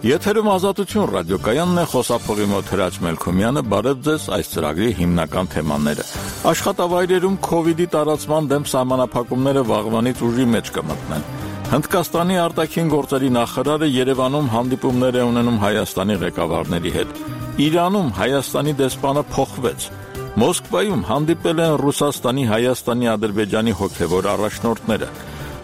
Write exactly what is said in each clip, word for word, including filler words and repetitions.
Եթերում Ազատություն ռադիոկայանն է, խոսափողի մոտ Հրաչ Մելքոմյանը, բարև ձեզ, այս ծրագրի հիմնական թեմաները։ Աշխատավայրերում քովիդի տարածման դեմ սահմանափակումները վաղվանից ուժի մեջ կմտնեն։ Հնդկաստանի արտաքին գործերի նախարարը Երևանում հանդիպումներ է ունենում Հայաստանի ղեկավարների հետ։ Իրանում Հայաստանի դեսպանը փոխվեց։ Մոսկվայում հանդիպել են Ռուսաստանի, Հայաստանի, Ադրբեջանի հոգևոր առաջնորդները։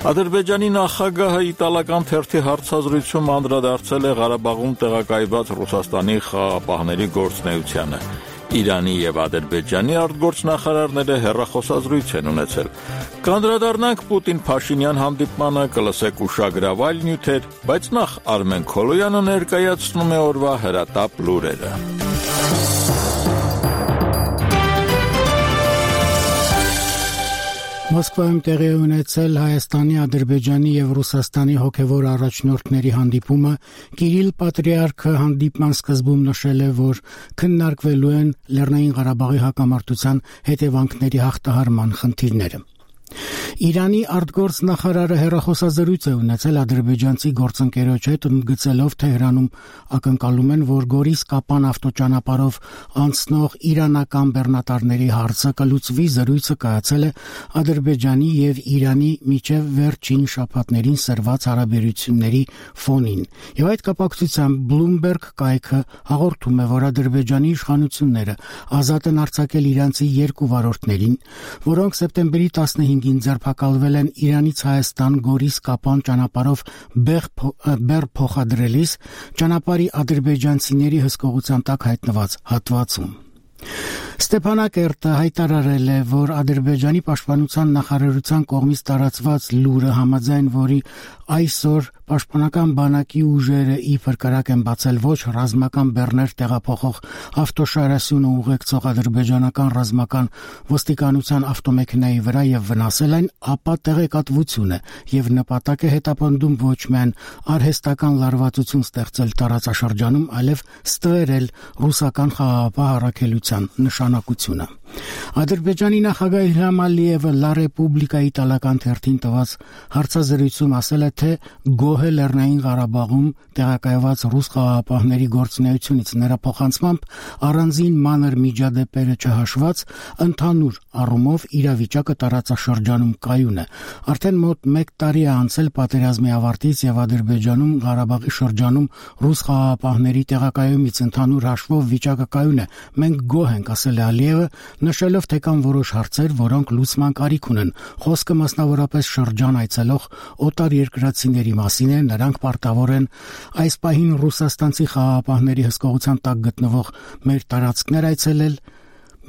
Ադրբեջանի նախագահը իտալական թերթի հարցազրույցում անդրադարձել է Ղարաբաղում տեղակայված Ռուսաստանի խաղաղապահների գործունեությանը։ Իրանի եւ Ադրբեջանի արտգործնախարարները հեռախոսազրույց են ունեցել։ Կանդրադառնանք Պուտին-Փաշինյան հանդիպմանը, կլսեք ուշագրավայր նյութեր, բայց նախ Արմեն Քոլոյանը ներկայացնում է օրվա հրատապ լուրերը։ Մոսկվայում տեղի ունեցել Հայաստանի, Ադրբեջանի եւ Ռուսաստանի հոգևոր առաջնորդների հանդիպումը Կիրիլ Պատրիարքը հանդիպման սկզբում նշել է, որ քննարկվելու են Լեռնային Ղարաբաղի հակամարտության հետևանքների հաղթահարման խնդիրները։ Իրանի արտգործնախարարը հեռախոսազրույց է ունեցել ադրբեջանցի գործընկերոջ հետ, ընդգծելով Թեհրանում ակնկալում են, որ Գորիս-Կապան ավտոճանապարհով անցնող իրանական բեռնատարների հարցը կլուծվի։ Զրույցը կայացել է Ադրբեջանի եւ Իրանի միջև վերջին շաբաթներին սրված հարաբերությունների ֆոնին։ Եվ այդ կապակցությամբ Bloomberg կայքը հաղորդում է, որ Ադրբեջանի իշխանությունները ազատ են արձակել իրանցի երկու վարորդներին, որոնք սեպտեմբերի տասնհինգին ձերբակալվել են Իրանից Հայաստան Գորիս-Կապան ճանապարհով բեռ փոխադրելիս ճանապարհի ադրբեջանցիների հսկողության տակ հայտնված հատվածում։ Ստեփանակերտը հայտարարել է, որ Ադրբեջանի պաշտպանության նախարարության կողմից տարածված լուրը, համաձայն որի այսօր պաշտպանական բանակի ուժերը իբր կրակ են բացել ոչ ռազմական բեռներ տեղափոխող ավտոշարասյունը ուղեկցող ադրբեջանական ռազմական ոստիկանության ավտոմեքենայի վրա եւ վնասել այն, ապա տեղեկատվություն է եւ նպատակ է հետապնդում ոչ միայն արհեստական լարվածություն ստեղծել տարածաշրջանում, այլև ստվերել ռուսական խաղաղապահ առաքելության նշանակությունը։ Ադրբեջանի նախագահ Իլհամ Ալիևը Լա Ռեպուբլիկա իտալական թերթին տված հարցազրույցում ասել է, թե գոհ է Լեռնային Ղարաբաղում տեղակայված ռուս խաղաղապահների գործունեությունից, նրա փոխանցմամբ առանձին մանր միջադեպերը չհաշված, ընդհանուր առումով իրավիճակը տարածաշրջանում կայուն է։ Արդեն մոտ մեկ տարի է անցել պատերազմի ավարտից եւ Ադրբեջանում Ղարաբաղի շրջանում ռուս խաղաղապահների տեղակայումից, ընդհանուր հաշվով վիճակը կայուն է։ Մենք գոհ ենք, ասել է Ալիևը, նշելով, թե կան որոշ հարցեր, որոնք լուծման կարիք ունեն։ Խոսքը մասնավորապես շրջան այցելող օտար երկրացիների մասին է, նրանք պարտավոր են այս պահին ռուսաստանցի խաղաղապահների հսկողության տակ գտնվող մեր տարածքներ այցելել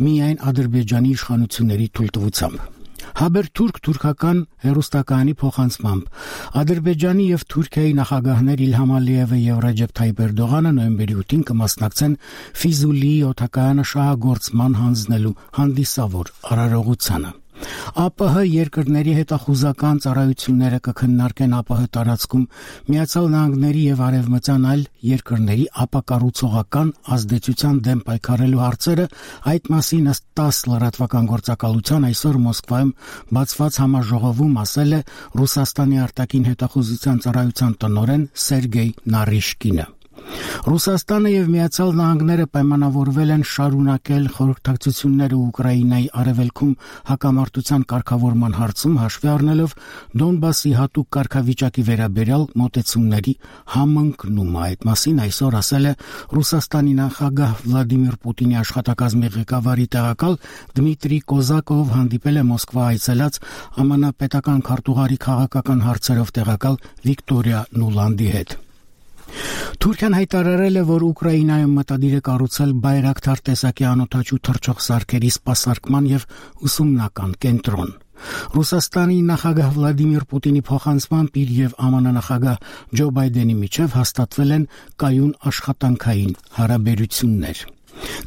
միայն Ադրբեջանի իշխանությունների թույլտվությամբ։ Հաբերթուրք թուրքական հերոստակայանի փոխանցմամբ Ադրբեջանի եւ Թուրքիայի նախագահներ Իլհամ Ալիևը եւ Ռեջեփ Թայիպ Էրդողանը նոյեմբերի ութին կմասնակցեն Ֆիզուլիի օդակայանը շահագործման հանձնելու հանդիսավոր արարողությանը։ ԱՊՀ երկրների հետախուզական ծառայությունները կքննարկեն ԱՊՀ տարածքում Միացյալ Նահանգների եւ Արևմտյան այլ երկրների ապակառուցողական ազդեցության դեմ պայքարելու հարցերը։ Այդ մասին ըստ տաս լրատվական գործակալության այսօր Մոսկվայում բացված համաժողովում ասել է Ռուսաստանի արտաքին հետախուզության ծառայության տնօրեն Սերգեյ Նարիշկինը։ Ռուսաստանը եւ Միացյալ Նահանգները պայմանավորվել են շարունակել խորհրդակցությունները Ուկրաինայի արևելքում հակամարտության կարգավորման հարցում, հաշվի առնելով Դոնբասի հատուկ կարգավիճակի վերաբերյալ մոտեցումների համընկնումը։ Այդ մասին այսօր ասել է Ռուսաստանի նախագահ Վլադիմիր Պուտինի աշխատակազմի ղեկավարի տեղակալ Դմիտրի Կոզակով, հանդիպել է Մոսկվա այցելած ԱՄՆ պետական քարտուղարի քաղաքական հարցերով տեղակալ Վիկտորիա Նուլանդի հետ։ Թուրքիան հայտարարել է, որ Ուկրաինայում մտադիր է կառուցել բայրակթար տեսակի անօդաչու թռչող սարքերի սպասարկման եւ ուսումնական կենտրոն։ Ռուսաստանի նախագահ Վլադիմիր Պուտինի փոխանցմամբ իր եւ ԱՄՆ նախագահ Ջո Բայդենի միջև հաստատվել են կայուն աշխատանքային հարաբերություններ։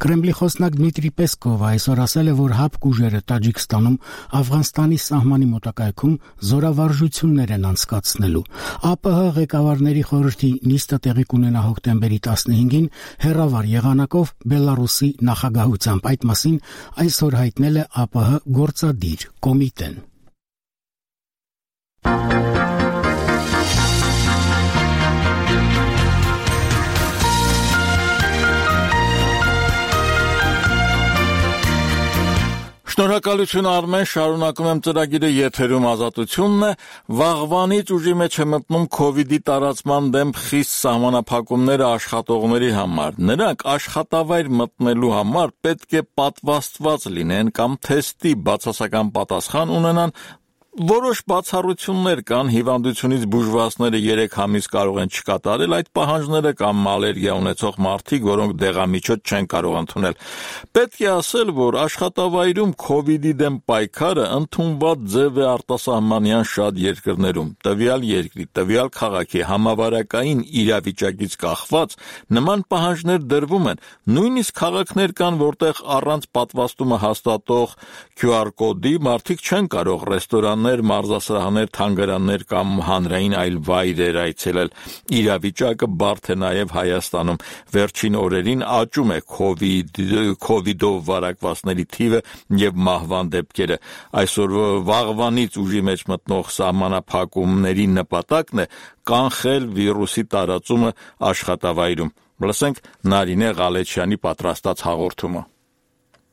Կրեմլի խոսնակ Դմիտրի Պեսկովը այսօր ասել է, որ հապկ ուժերը Տաջիկստանում Աֆղանստանի սահմանի մոտակայքում զորավարժություններ են անցկացնելու։ ԱՊՀ ղեկավարների խորհրդի նիստը տեղի կունենա հոկտեմբերի տասնհինգին հեռավար եղանակով Բելարուսի նախագահությամբ։ Այդ մասին այսօր հայտնել է ԱՊՀ գործադիր կոմիտեն։ Շնորհակալություն Արմեն, շարունակում եմ ծրագիրը, եթերում Ազատությունն է։ Վաղվանից ուժի մեջ է մտնում քովիդի տարածման դեմ խիստ սահմանափակումները աշխատողների համար։ Նրանք աշխատավայր մտնելու համար պետք է պատվաստված լինեն կամ թեստի բացասական պատասխան ունենան։ Որոշ բացառություններ կան, հիվանդությունից բուժվածները երեք ամիս կարող են չկատարել այդ պահանջները կամ ալերգիա ունեցող մարդիկ, որոնք դեղամիջոց չեն կարող ընդունել։ Պետք է ասել, որ աշխատավայրում քովիդի դեմ պայքարը ընդունված ձև է արտասահմանյան շատ երկրներում։ Տվյալ երկրի, տվյալ քաղաքի համավարակային իրավիճակից կախված նման պահանջներ դրվում են։ Նույնիսկ քաղաքներ կան, որտեղ առանց պատվաստումը հաստատող Q R կոդի մարդիկ չեն կարող ռեստորան մարզասրահներ, թանգարաններ կամ հանրային այլ վայրեր այցելել։ Իրավիճակը բարդ է նաև Հայաստանում։ Վերջին օրերին աճում է քովիդով վարակվածների թիվը եւ մահվան դեպքերը։ Այսօր վաղվանից ուժի մեջ մտնող սահմանափակումների նպատակն է կանխել վիրուսի տարածումը աշխատավայրում։ Լսենք Նարինե Ղալեչյանի պատրաստած հաղորդումը։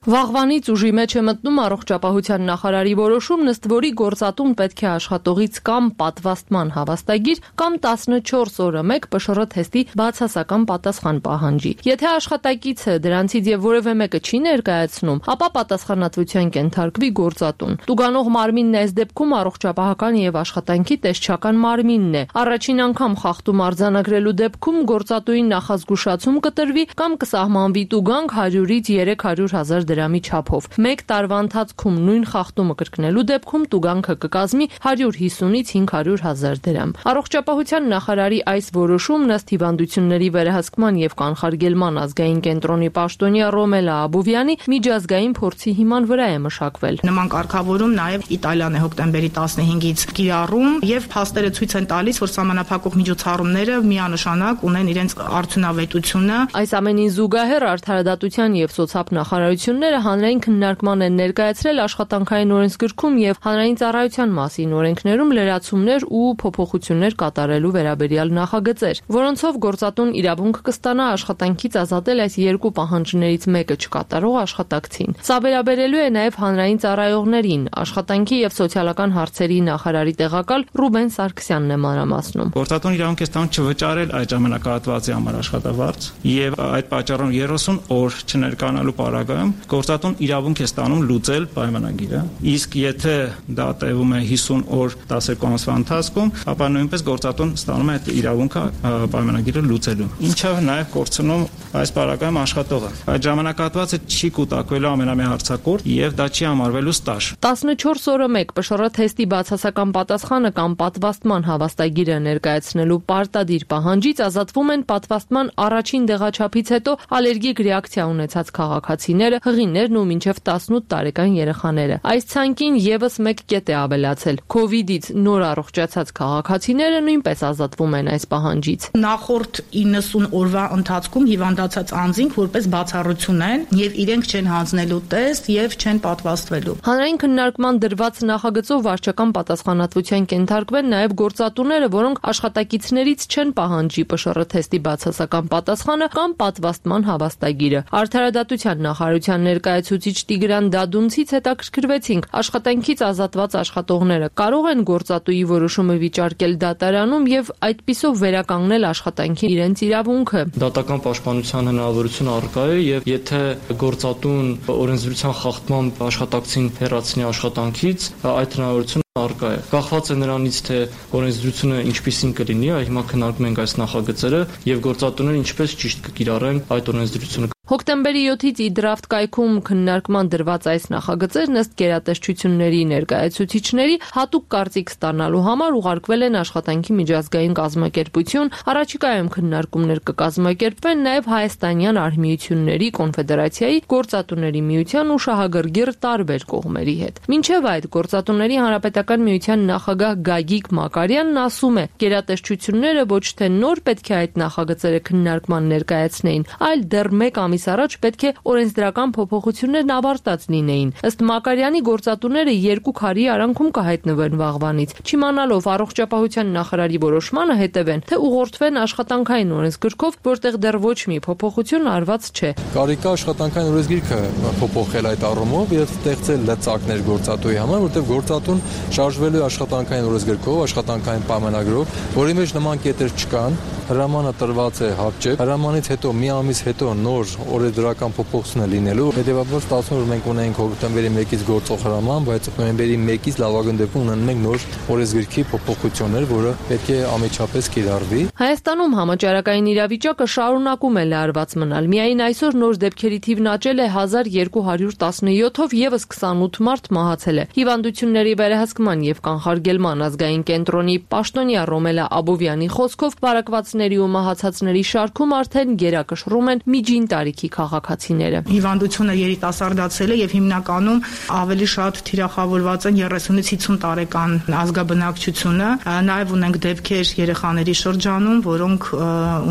Վաղվանից ուժի մեջ է մտնում առողջապահության նախարարի որոշում, ըստ որի գործատուն պետք է աշխատողից կամ պատվաստման հավաստագիր կամ տասնչորս օրը մեկ P S R թեստի բացասական պատասխան պահանջի։ Եթե աշխատակիցը դրանցից եւ որևէ մեկը չի ներկայացնում, ապա պատասխանատվության կենթարկվի գործատուն։ Տուգանող մարմինն այս դեպքում առողջապահական եւ աշխատանքի տեսչական մարմինն է։ Առաջին անգամ խախտում արձանագրելու դեպքում գործատուին նախազգուշացում կտրվի կամ կսահմանվի տուգանք հարյուրից երեք հարյուր հազար դրամի չափով։ Մեկ տարվա ընթացքում նույն խախտումը կրկնելու դեպքում տուգանքը կկազմի հարյուր հիսունից հինգ հարյուր հազար դրամ։ Առողջապահության նախարարի այս որոշումն ըստ հիվանդությունների վերահսկման եւ կանխարգելման ազգային կենտրոնի պաշտոնյա Ռոմելա Աբովյանի միջազգային փորձի հիման վրա է մշակվել։ Նման կարգավորում նաեւ Իտալիան է հոկտեմբերի տասնհինգից կիրառում եւ փաստերը ցույց են տալիս, որ սահմանափակող միջոցառումները միանշանակ ունեն իրենց արդյունավետությունը։ Այս ամենին զուգահեռ Արդարադատության եւ սոցիալ նախարարությունը հանրային քննարկման են ներկայացրել աշխատանքային օրենսգրքում եւ հանրային ծառայության մասին օրենքներում լրացումներ ու փոփոխություններ կատարելու վերաբերյալ նախագծեր, որոնցով գործատուն իրավունք կստանա աշխատանքից ազատել այս երկու պահանջներից մեկը չկատարող աշխատակցին։ Սա վերաբերելու է նաեւ հանրային ծառայողներին։ Աշխատանքի եւ սոցիալական հարցերի նախարարի տեղակալ Ռուբեն Սարգսյանն է մանրամասնում։ Գործատուն իրավունք է ստանում չվճարել այդ ժամանակահատվածի համար աշխատավարձ եւ այդ պատճառով երեսուն օր չներկայանալու պարագայում գործատուն իրավունք է ստանում լուծել պայմանագիրը, իսկ եթե դա տևում է հիսուն օր տասներկու ամսվա ընթացքում, ապա նույնպես գործատուն ստանում է այդ իրավունքը պայմանագիրը լուծելու։ Ինչը նաև կորցնում այս պարագայում աշխատողը։ Այդ ժամանակահատվածը չի կուտակվելու ամենամեծ հարցակորդ եւ դա չի համարվելու ստաժ։ տասնչորս օրը մեկ P S R թեստի բացասական պատասխանը կամ պատվաստման հավաստագիրը ներկայացնելու պարտադիր պահանջից ազատվում են պատվաստման առաջին դեղաչափից հետո ալերգիկ ռեակցիա ունեցած քաղաքացիները, հղիներն ու մինչև տասնութ տարեկան երեխաները։ Այս ցանկին եւս մեկ կետ է ավելացել։ Քովիդից նոր առողջացած քաղաքացիները նույնպես ազատվում են այս պահանջից։ Նախորդ իննսուն օրվա ընթացքում հիվանդացած անձինք որպես բացառություն են եւ իրենք չեն հանձնելու տեստ եւ չեն պատվաստվելու։ Հանրային քննարկման դրված նախագծով վարչական պատասխանատվության կենթարկվեն նաեւ գործատուները, որոնք աշխատակիցներից չեն պահանջի P S R թեստի բացասական պատասխանը կամ պատվաստման հավաստագիրը։ Արդարադատության նախարարության ներկայացուցիչ Տիգրան Դադունցից հետաքրքրվեցինք, աշխատանքից ազատված աշխատողները կարող են գործատուի որոշումը վիճարկել դատարանում եւ այդպիսով վերականգնել աշխատանքի իրենց իրավունքը։ Դատական պաշտպանության հնարավորություն առկա է եւ եթե գործատուն օրենսդրության խախտմամբ աշխատակցին հեռացնի աշխատանքից, այդ հնարավորությունը առկա է։ Կախված է նրանից, թե օրենսդրությունը ինչպիսին կլինի, հիմա քննարկում ենք այս նախագծերը եւ գործատուները ինչպես ճիշտ կկիրառեն այդ օրենսդրությունը։ Հոկտեմբերի յոթից ի դրաֆտ կայքում քննարկման դրված այս նախագծերն ըստ գերատեսչությունների ներկայացուցիչների հատուկ կարծիք ստանալու համար ուղարկվել են աշխատանքի միջազգային կազմակերպություն, առաջիկայում քննարկումներ կկազմակերպվեն նաև հայաստանյան արհմիությունների կոնֆեդերացիայի, գործատուների միության ու շահագրգիռ տարբեր կողմերի հետ։ Մինչև այդ գործատուների հանրապետական միության նախագահ Գագիկ Մակարյանն ասում է, գերատեսչությունները ոչ թե նոր պետք է այդ նախագծերը քննարկման ներկայացնեին, այլ դեռ մեկ ամիս առաջ պետք է օրենսդրական փոփոխություններն ավարտած լինեին։ Ըստ Մակարյանի գործատուները երկու քարի արանքում կհայտնվեն վաղվանից, չիմանալով առողջապահության նախարարի որոշմանը հետևեն, թե ուղղորդվեն աշխատանքային օրենսգրքով, որտեղ դեռ ոչ մի փոփոխություն արված չէ։ Կարիք կա աշխատանքային օրենսգիրքը փոփոխել այդ առումով եւ ստեղծել լծակներ գործատուի համար, որտեղ գործատուն շարժվելու աշխատանքային օրենսգրքով, աշխատանքային պայմանագրով, որի մեջ նման կետեր չկան, հրամանը տրված է հապճեպ, հրամանից հետո մի ամիս հետո նոր օրենսդրական փոփոխություն լինելու, հետեւաբար ստացվում է որ մենք ունենք հոկտեմբերի մեկից գործող հրաման, բայց նոյեմբերի մեկից լավագույն դեպքում ունենում ենք նոր օրենսգրքի փոփոխություններ, որը պետք է ամեջապես կիրառվի։ Հայաստանում համաճարակային իրավիճակը շարունակում է լարված մնալ։ Միայն այսօր նոր դեպքերի թիվն աճել է հազար երկու հարյուր տասնյոթով, եւս քսանութ մարդ մահացել է։ Հիվանդությունների վերահսկման եւ կանխարգելման ազգային կենտրոնի պաշտոնյա Ռոմելա Աբովյանի խոսքով բարակվածների ու մահացածների շարքում արդեն գերակշռում են միջին տարիքի քաղաքացիները։ Հիվանդությունը երիտասարդացել է եւ հիմնականում ավելի շատ թիրախավորված են երեսունից հիսուն տարեկան ազգաբնակչությունը, նաեւ ունենք դեպքեր երեխաների շրջանում, որոնք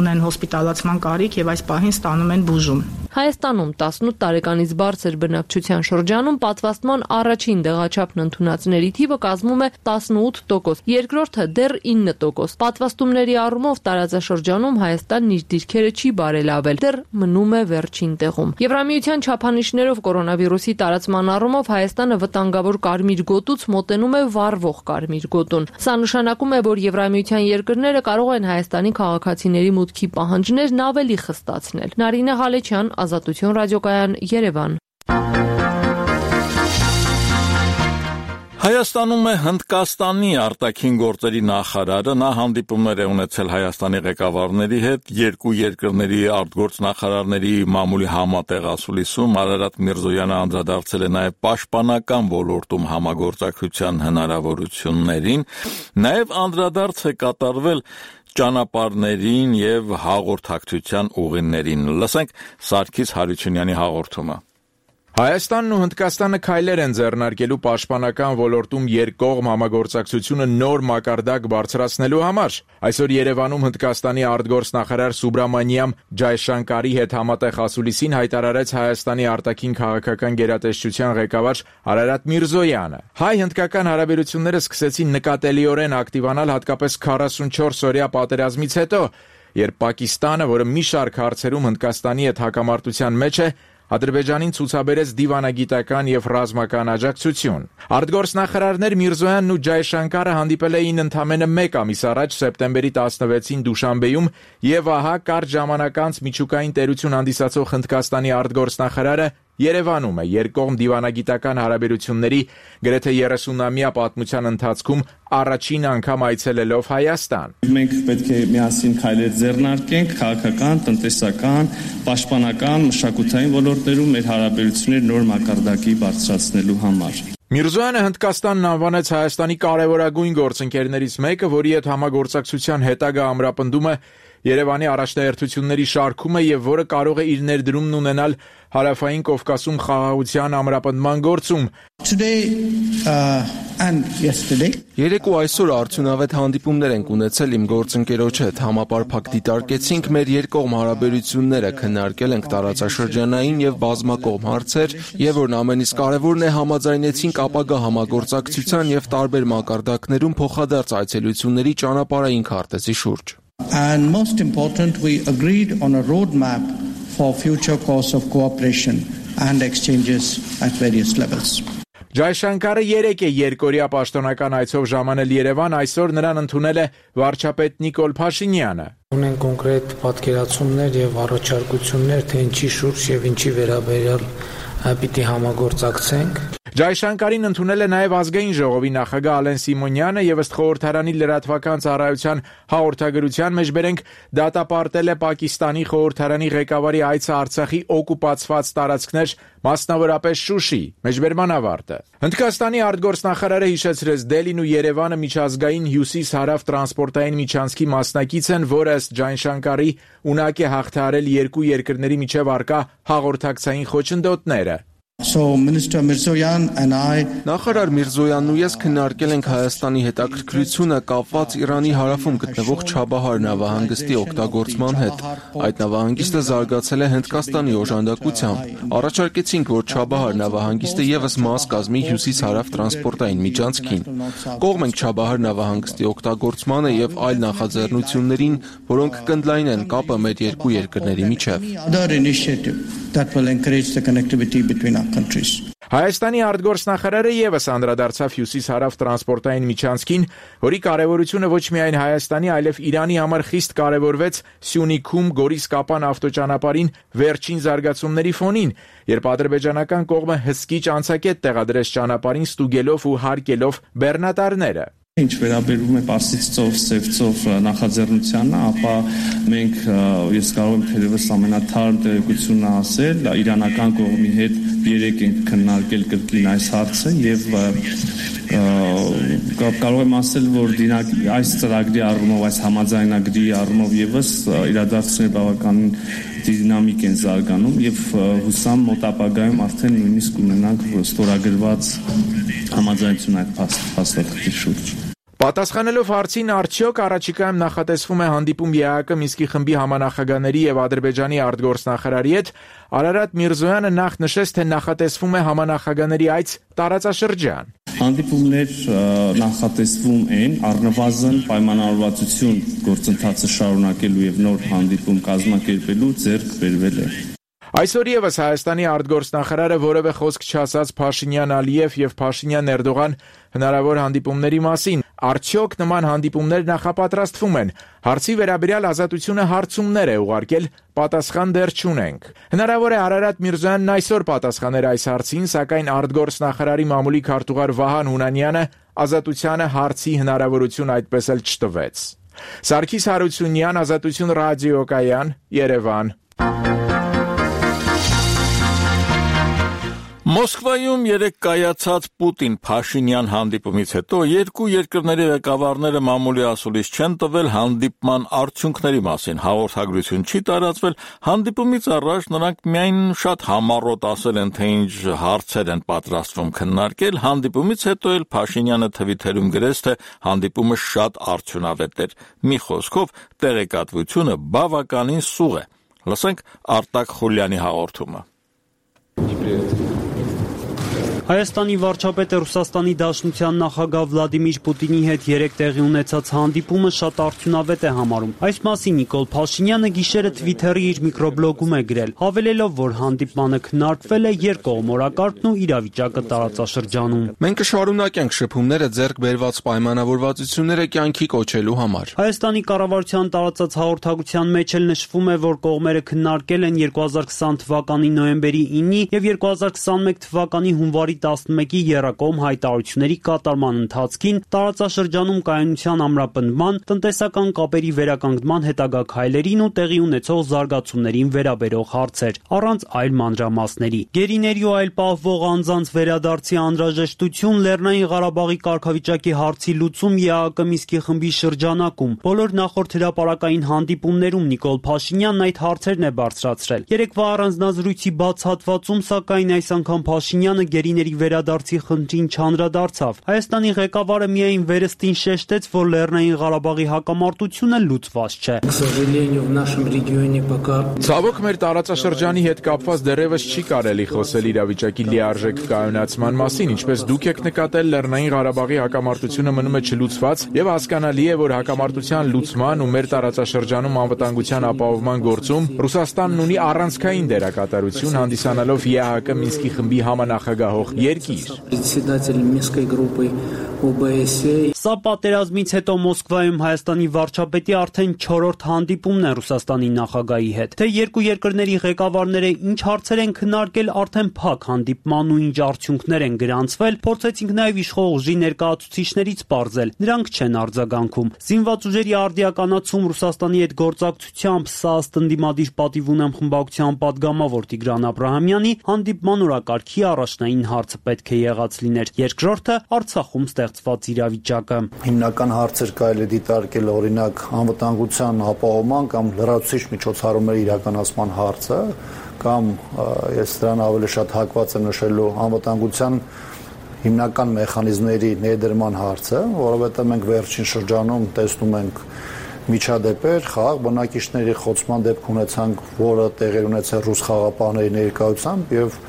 ունեն հոսպիտալացման կարիք եւ այս պահին ստանում են բուժում։ Հայաստանում տասնութ տարեկանից բարձր բնակչության շրջանում պատվաստման առաջին դեղաչափն ընդունածների թիվը կազմում է տասնութ տոկոս, երկրորդը դեռ ինը տոկոս։ Պատվաստումների առումով տարածաշրջանում Հայաստանն իր դիրքերը չի բարելավել, դեռ մնում է վերջին տեղում։ Եվրամիության չափանիշներով կորոնավիրուսի տարածման առումով Հայաստանը վտանգավոր կարմիր գոտուց մոտենում է վառվող կարմիր գոտուն։ Սա նշանակում է, որ Եվրամիության երկրները կարող են Հայաստանի քաղաքացիների մուտքի պահանջներն ավելի խստացնել։ Նարինե Ղալեչյան, Ազատություն ռադիոկայան, Երևան։ Հայաստանում է Հնդկաստանի արտաքին գործերի նախարարը, նա հանդիպումներ է ունեցել Հայաստանի ղեկավարների հետ, երկու երկրների արտգործնախարարների մամուլի համատեղ ասուլիսում Արարատ Միրզոյանը անդրադարձել է նաև պաշտպանական ոլորտում համագործակցության հնարավորություններին, նաև անդրադարձ է կատարվել ճանապարհներին եւ հաղորդակցության ուղիներին։ Լսենք Սարգիս Հարությունյանի հաղորդումը։ Հայաստանն ու Հնդկաստանը քայլեր են ձեռնարկելու պաշտպանական ոլորտում երկկողմ համագործակցությունը նոր մակարդակ բարձրացնելու համար։ Այսօր Երևանում Հնդկաստանի արտգործնախարար Սուբրամանիամ Ջայշանկարի հետ համատեղ ասուլիսին հայտարարեց Հայաստանի արտաքին քաղաքական գերատեսչության ղեկավար Արարատ Միրզոյանը։ Հայ-հնդկական հարաբերությունները սկսեցին նկատելիորեն ակտիվանալ հատկապես քառասունչորս օրյա պատերազմից հետո, երբ Պակիստանը, որը մի շարք հարցերում Հնդկաստանի հետ հակամարտության մեջ է, Ադրբեջանին ցուցաբերեց դիվանագիտական եւ ռազմական աջակցություն։ Արտգործնախարարներ Միրզոյանն ու Ջայշանկարը հանդիպել էին ընդամենը մեկ ամիս առաջ սեպտեմբերի տասնվեցին Դուշանբեում եւ ահա կարճ ժամանակ անց միջուկային տերություն հանդիսացող Հնդկաստանի արտգործնախարարը Երևանում է երկկողմ դիվանագիտական հարաբերությունների գրեթե երեսունամյա պատմության ընթացքում առաջին անգամ այցելելով Հայաստան։ Մենք պետք է միասին քայլեր ձեռնարկենք քաղաքական, տնտեսական, պաշտպանական, մշակութային ոլորտներում մեր հարաբերությունները նոր մակարդակի բարձրացնելու համար։ Միրզոյանը Հնդկաստանն անվանեց Հայաստանի կարևորագույն գործընկերներից մեկը, որի հետ համագործակցության հետագա ամրապնդումը Երևանի առաջնահերթությունների շարքում է եւ որը կարող է իր ներդրումն ունենալ Հարավային Կովկասում խաղաղության ամրապնդման գործում։ Երեկ ու այսօր արդյունավետ հանդիպումներ ենք ունեցել իմ գործընկերոջ հետ, համապարփակ դիտարկեցինք մեր երկկողմ հարաբերությունները, քննարկել ենք տարածաշրջանային եւ բազմակողմ հարցեր, եւ որն ամենից կարեւորն է, համաձայնեցինք ապագա համագործակցության եւ տարբեր մակարդակներում փոխադարձ այցելությունների ճանապարհային քարտեզի շուրջ։ And most important, we agreed on a roadmap for future course of cooperation and exchanges at various levels. Ջայշանկարը երեկ է երկօրյա պաշտոնական այցով ժամանել Երևան, այսօր նրան ընդունել է վարչապետ Նիկոլ Փաշինյանը։ Ունեն կոնկրետ պատկերացումներ եւ առաջարկություններ, թե ինչի շուրջ եւ ինչի վերաբերյալ պիտի համագործակցենք։ Ջայշանկարին ընդունել է նաև ազգային ժողովի նախագահ Ալեն Սիմոնյանը եւ ըստ խորհրդարանի լրատվական ծառայության հաղորդագրության մեջ բերենք դատապարտել է Պակիստանի խորհրդարանի ղեկավարի այցը Արցախի օկուպացված տարածքներ, մասնավորապես Շուշի, մեջբերման ավարտը։ Հնդկաստանի արտգործնախարարը հիշեցրեց Դելին ու Երևանը միջազգային հյուսիս-հարավ տրանսպորտային միջանցքի մասնակից են, որը ըստ Ջայշանկարի ունակ է հաղթահարել երկու երկրների միջև առկա հաղորդակցային խոչընդոտները։ So Minister Mirzoyan and I Նախարար Միրզոյանն ու ես քննարկել ենք Հայաստանի հետաքրքրությունը կապված Իրանի հարավում գտնվող Չաբահար նավահանգստի օգտագործման հետ։ Այդ նավահանգիստը զարգացել է Հնդկաստանի օժանդակությամբ։ Առաջարկեցինք, որ Չաբահար նավահանգիստը եւս մաս կազմի հյուսիս-հարավ տրանսպորտային միջանցքին։ Կողմ ենք Չաբահար նավահանգստի օգտագործմանը եւ այլ նախաձեռնություններին, որոնք կընդլայնեն կապը մեր երկու երկրների միջեւ։ That will encourage the connectivity between our countries. Հայաստանի արտգործնախարարը եւս անդրադարձավ հյուսիս-հարավ տրանսպորտային միջանցքին, որի կարևորությունը ոչ միայն Հայաստանի, այլև Իրանի համար խիստ կարևորվեց Սյունիքում Գորիս-Կապան ավտոճանապարհին վերջին զարգացումների ֆոնին, երբ ադրբեջանական կողմը հսկիչ անցակետ տեղադրեց ճանապարհին ստուգելով ու հարկելով բեռնատարները։ Ինչ վերաբերում է Պարսից ծով, Սև ծով նախաձեռնությանը, ապա մենք ես կարող եմ թերևս ամենաթարմ տեղեկությունը ասել, իրանական կողմի հետ երեք ենք քննարկել կրկին այս հարցը եւ կարող եմ ասել, որ այս ծրագրի առումով, այս համաձայնագրի առումով եւս իրադարձությունները բավականին դինամիկ են զարգանում եւ հուսամ մոտ ապագայում արդեն նույնիսկ ունենանք ստորագրված համաձայնություն այդ փաստաթղթի շուրջ։ Պատասխանելով հարցին, արդյոք առաջիկայում նախատեսվում է հանդիպում ԵԱՀԿ Մինսկի խմբի համանախագահների եւ Ադրբեջանի արտգործնախարարի հետ, Արարատ Միրզոյանը նախ նշեց, թե նախատեսվում է համանախագահների այց տարածաշրջան։ Հանդիպումներ նախատեսվում են, առնվազն պայմանավորվածություն գործընթացը շարունակելու եւ նոր հանդիպում կազմակերպելու ձեռք բերվել է։ Այսօր եւս Հայաստանի արտգործնախարարը որևէ խոսք չասաց Փաշինյան-Ալիև եւ Փաշինյան-Էրդողան հնարավոր հանդիպումների մասին։ Արդյոք նման հանդիպումներ նախապատրաստվում են։ Հարցի վերաբերյալ Ազատությունը հարցումներ է ուղարկել, պատասխան դեռ չունենք։ Հնարավոր է Արարատ Միրզոյանն այսօր պատասխաներ այս հարցին, սակայն արտգործնախարարի մամուլի քարտուղար Վահան Հունանյանը Ազատությանը հարցի հնարավորություն այդպես էլ չտվեց։ Սարգիս Հարությունյան, Ազատություն ռադիոկայան, Երևան։ Մոսկվայում երեկ կայացած Պուտին-Փաշինյան հանդիպումից հետո երկու երկրների ղեկավարները մամուլի ասուլիս չեն տվել հանդիպման արդյունքների մասին, հաղորդագրություն չի տարածվել, հանդիպումից առաջ նրանք միայն շատ համառոտ ասել են, թե ինչ հարցեր են պատրաստվում քննարկել, հանդիպումից հետո էլ Փաշինյանը թվիթերում գրեց, թե հանդիպումը շատ արդյունավետ էր, մի խոսքով տեղեկատվությունը բավականին սուղ է։ Լսենք Արտակ Խուլյանի հաղորդումը։ Հայաստանի վարչապետը Ռուսաստանի Դաշնության նախագահ Վլադիմիր Պուտինի հետ երեկ տեղի ունեցած հանդիպումը շատ արդյունավետ է համարում։ Այս մասին Նիկոլ Փաշինյանը գիշերը Twitter-ի իր միկրոբլոգում է գրել, հավելելով, որ հանդիպմանը քննարկվել է երկկողմորակարգն ու իրավիճակը տարածաշրջանում։ Մենք կշարունակենք շփումները ձեռք բերված պայմանավորվածությունները կյանքի կոչելու համար։ Հայաստանի կառավարության տարածած հաղորդագրության մեջ էլ նշվում է, որ կողմերը քննարկել են երկու հազար քսան թվականի նոյեմբերի ինի եւ երկու հազար քսանմեկ թվականի հունվարի տասնմեկի եռակողմ հայտարարությունների կատարման ընթացքին, տարածաշրջանում կայունության ամրապնդման, տնտեսական կապերի վերականգնման հետագա քայլերին ու տեղի ունեցող զարգացումներին վերաբերող հարցեր, առանց այլ մանրամասների։ Գերիների ու այլ պահվող անձանց վերադարձի անհրաժեշտություն, Լեռնային Ղարաբաղի կարգավիճակի հարցի լուծում ԵԱՀԿ Մինսկի խմբի շրջանակում։ Բոլոր նախորդ հրապարակային հանդիպումներում Նիկոլ Փաշինյանն այդ հարցերն է բարձրացրել։ Երեկվա առանձնազրույցի բաց հատվածում, սակայն այս անգամ Փաշինյանը գերիների վերադարձի խնդրին չանդրադարձավ։ Հայաստանի ղեկավարը միայն վերստին շեշտեց, որ Լեռնային Ղարաբաղի հակամարտությունը լուծված չէ։ Ցավոք մեր տարածաշրջանի հետ կապված դեռևս չի կարելի խոսել իրավիճակի լիարժեք կայունացման մասին, ինչպես դուք եք նկատել, Լեռնային Ղարաբաղի հակամարտությունը մնում է չլուծված եւ հասկանալի է, որ հակամարտության լուծման ու մեր տարածաշրջանում անվտանգության ապահովման գործում Ռուսաստանն ունի առանցքային դերակատարություն, հանդիսանալով ԵԱՀԿ Մինսկի խմբի համանախագահող երկիր։ Սա պատերազմից հետո Մոսկվայում Հայաստանի վարչապետի արդեն չորրորդ հանդիպումն է Ռուսաստանի նախագահի հետ։ Թե երկու երկրների ղեկավարները ինչ հարցեր են քննարկել, արդեն փակ հանդիպման ու ինչ արդյունքներ են գրանցվել, փորձեցինք նաև իշխող ուժի ներկայացուցիչներից պարզել։ Նրանք չեն արձագանքում։ Զինված ուժերի արդիականացում Ռուսաստանի հետ գործակցությամբ սա ըստ ընդդիմադիր պատիվ ունեմ խմբակցության պատգամավոր Տիգրան Աբրահամյանի հանդիպման օրակարգի առաջնային հարցը պետք է եղած լիներ։ Երկրորդը Արցախում ստեղծված իրավիճակը։ Հիմնական հարցեր կարելի է դիտարկել օրինակ անվտանգության ապահովման կամ լրացուցիչ միջոցառումների իրականացման հարցը, կամ ես դրան ավելի շատ հակված եմ նշելու անվտանգության հիմնական մեխանիզմների ներդրման հարցը, որովհետև մենք վերջին շրջանում տեսնում ենք միջադեպեր, խաղաղ բնակիչների խոցման դեպք ունեցանք, որը տեղի ունեցել ռուս խաղապահների ներկայությամբ եւ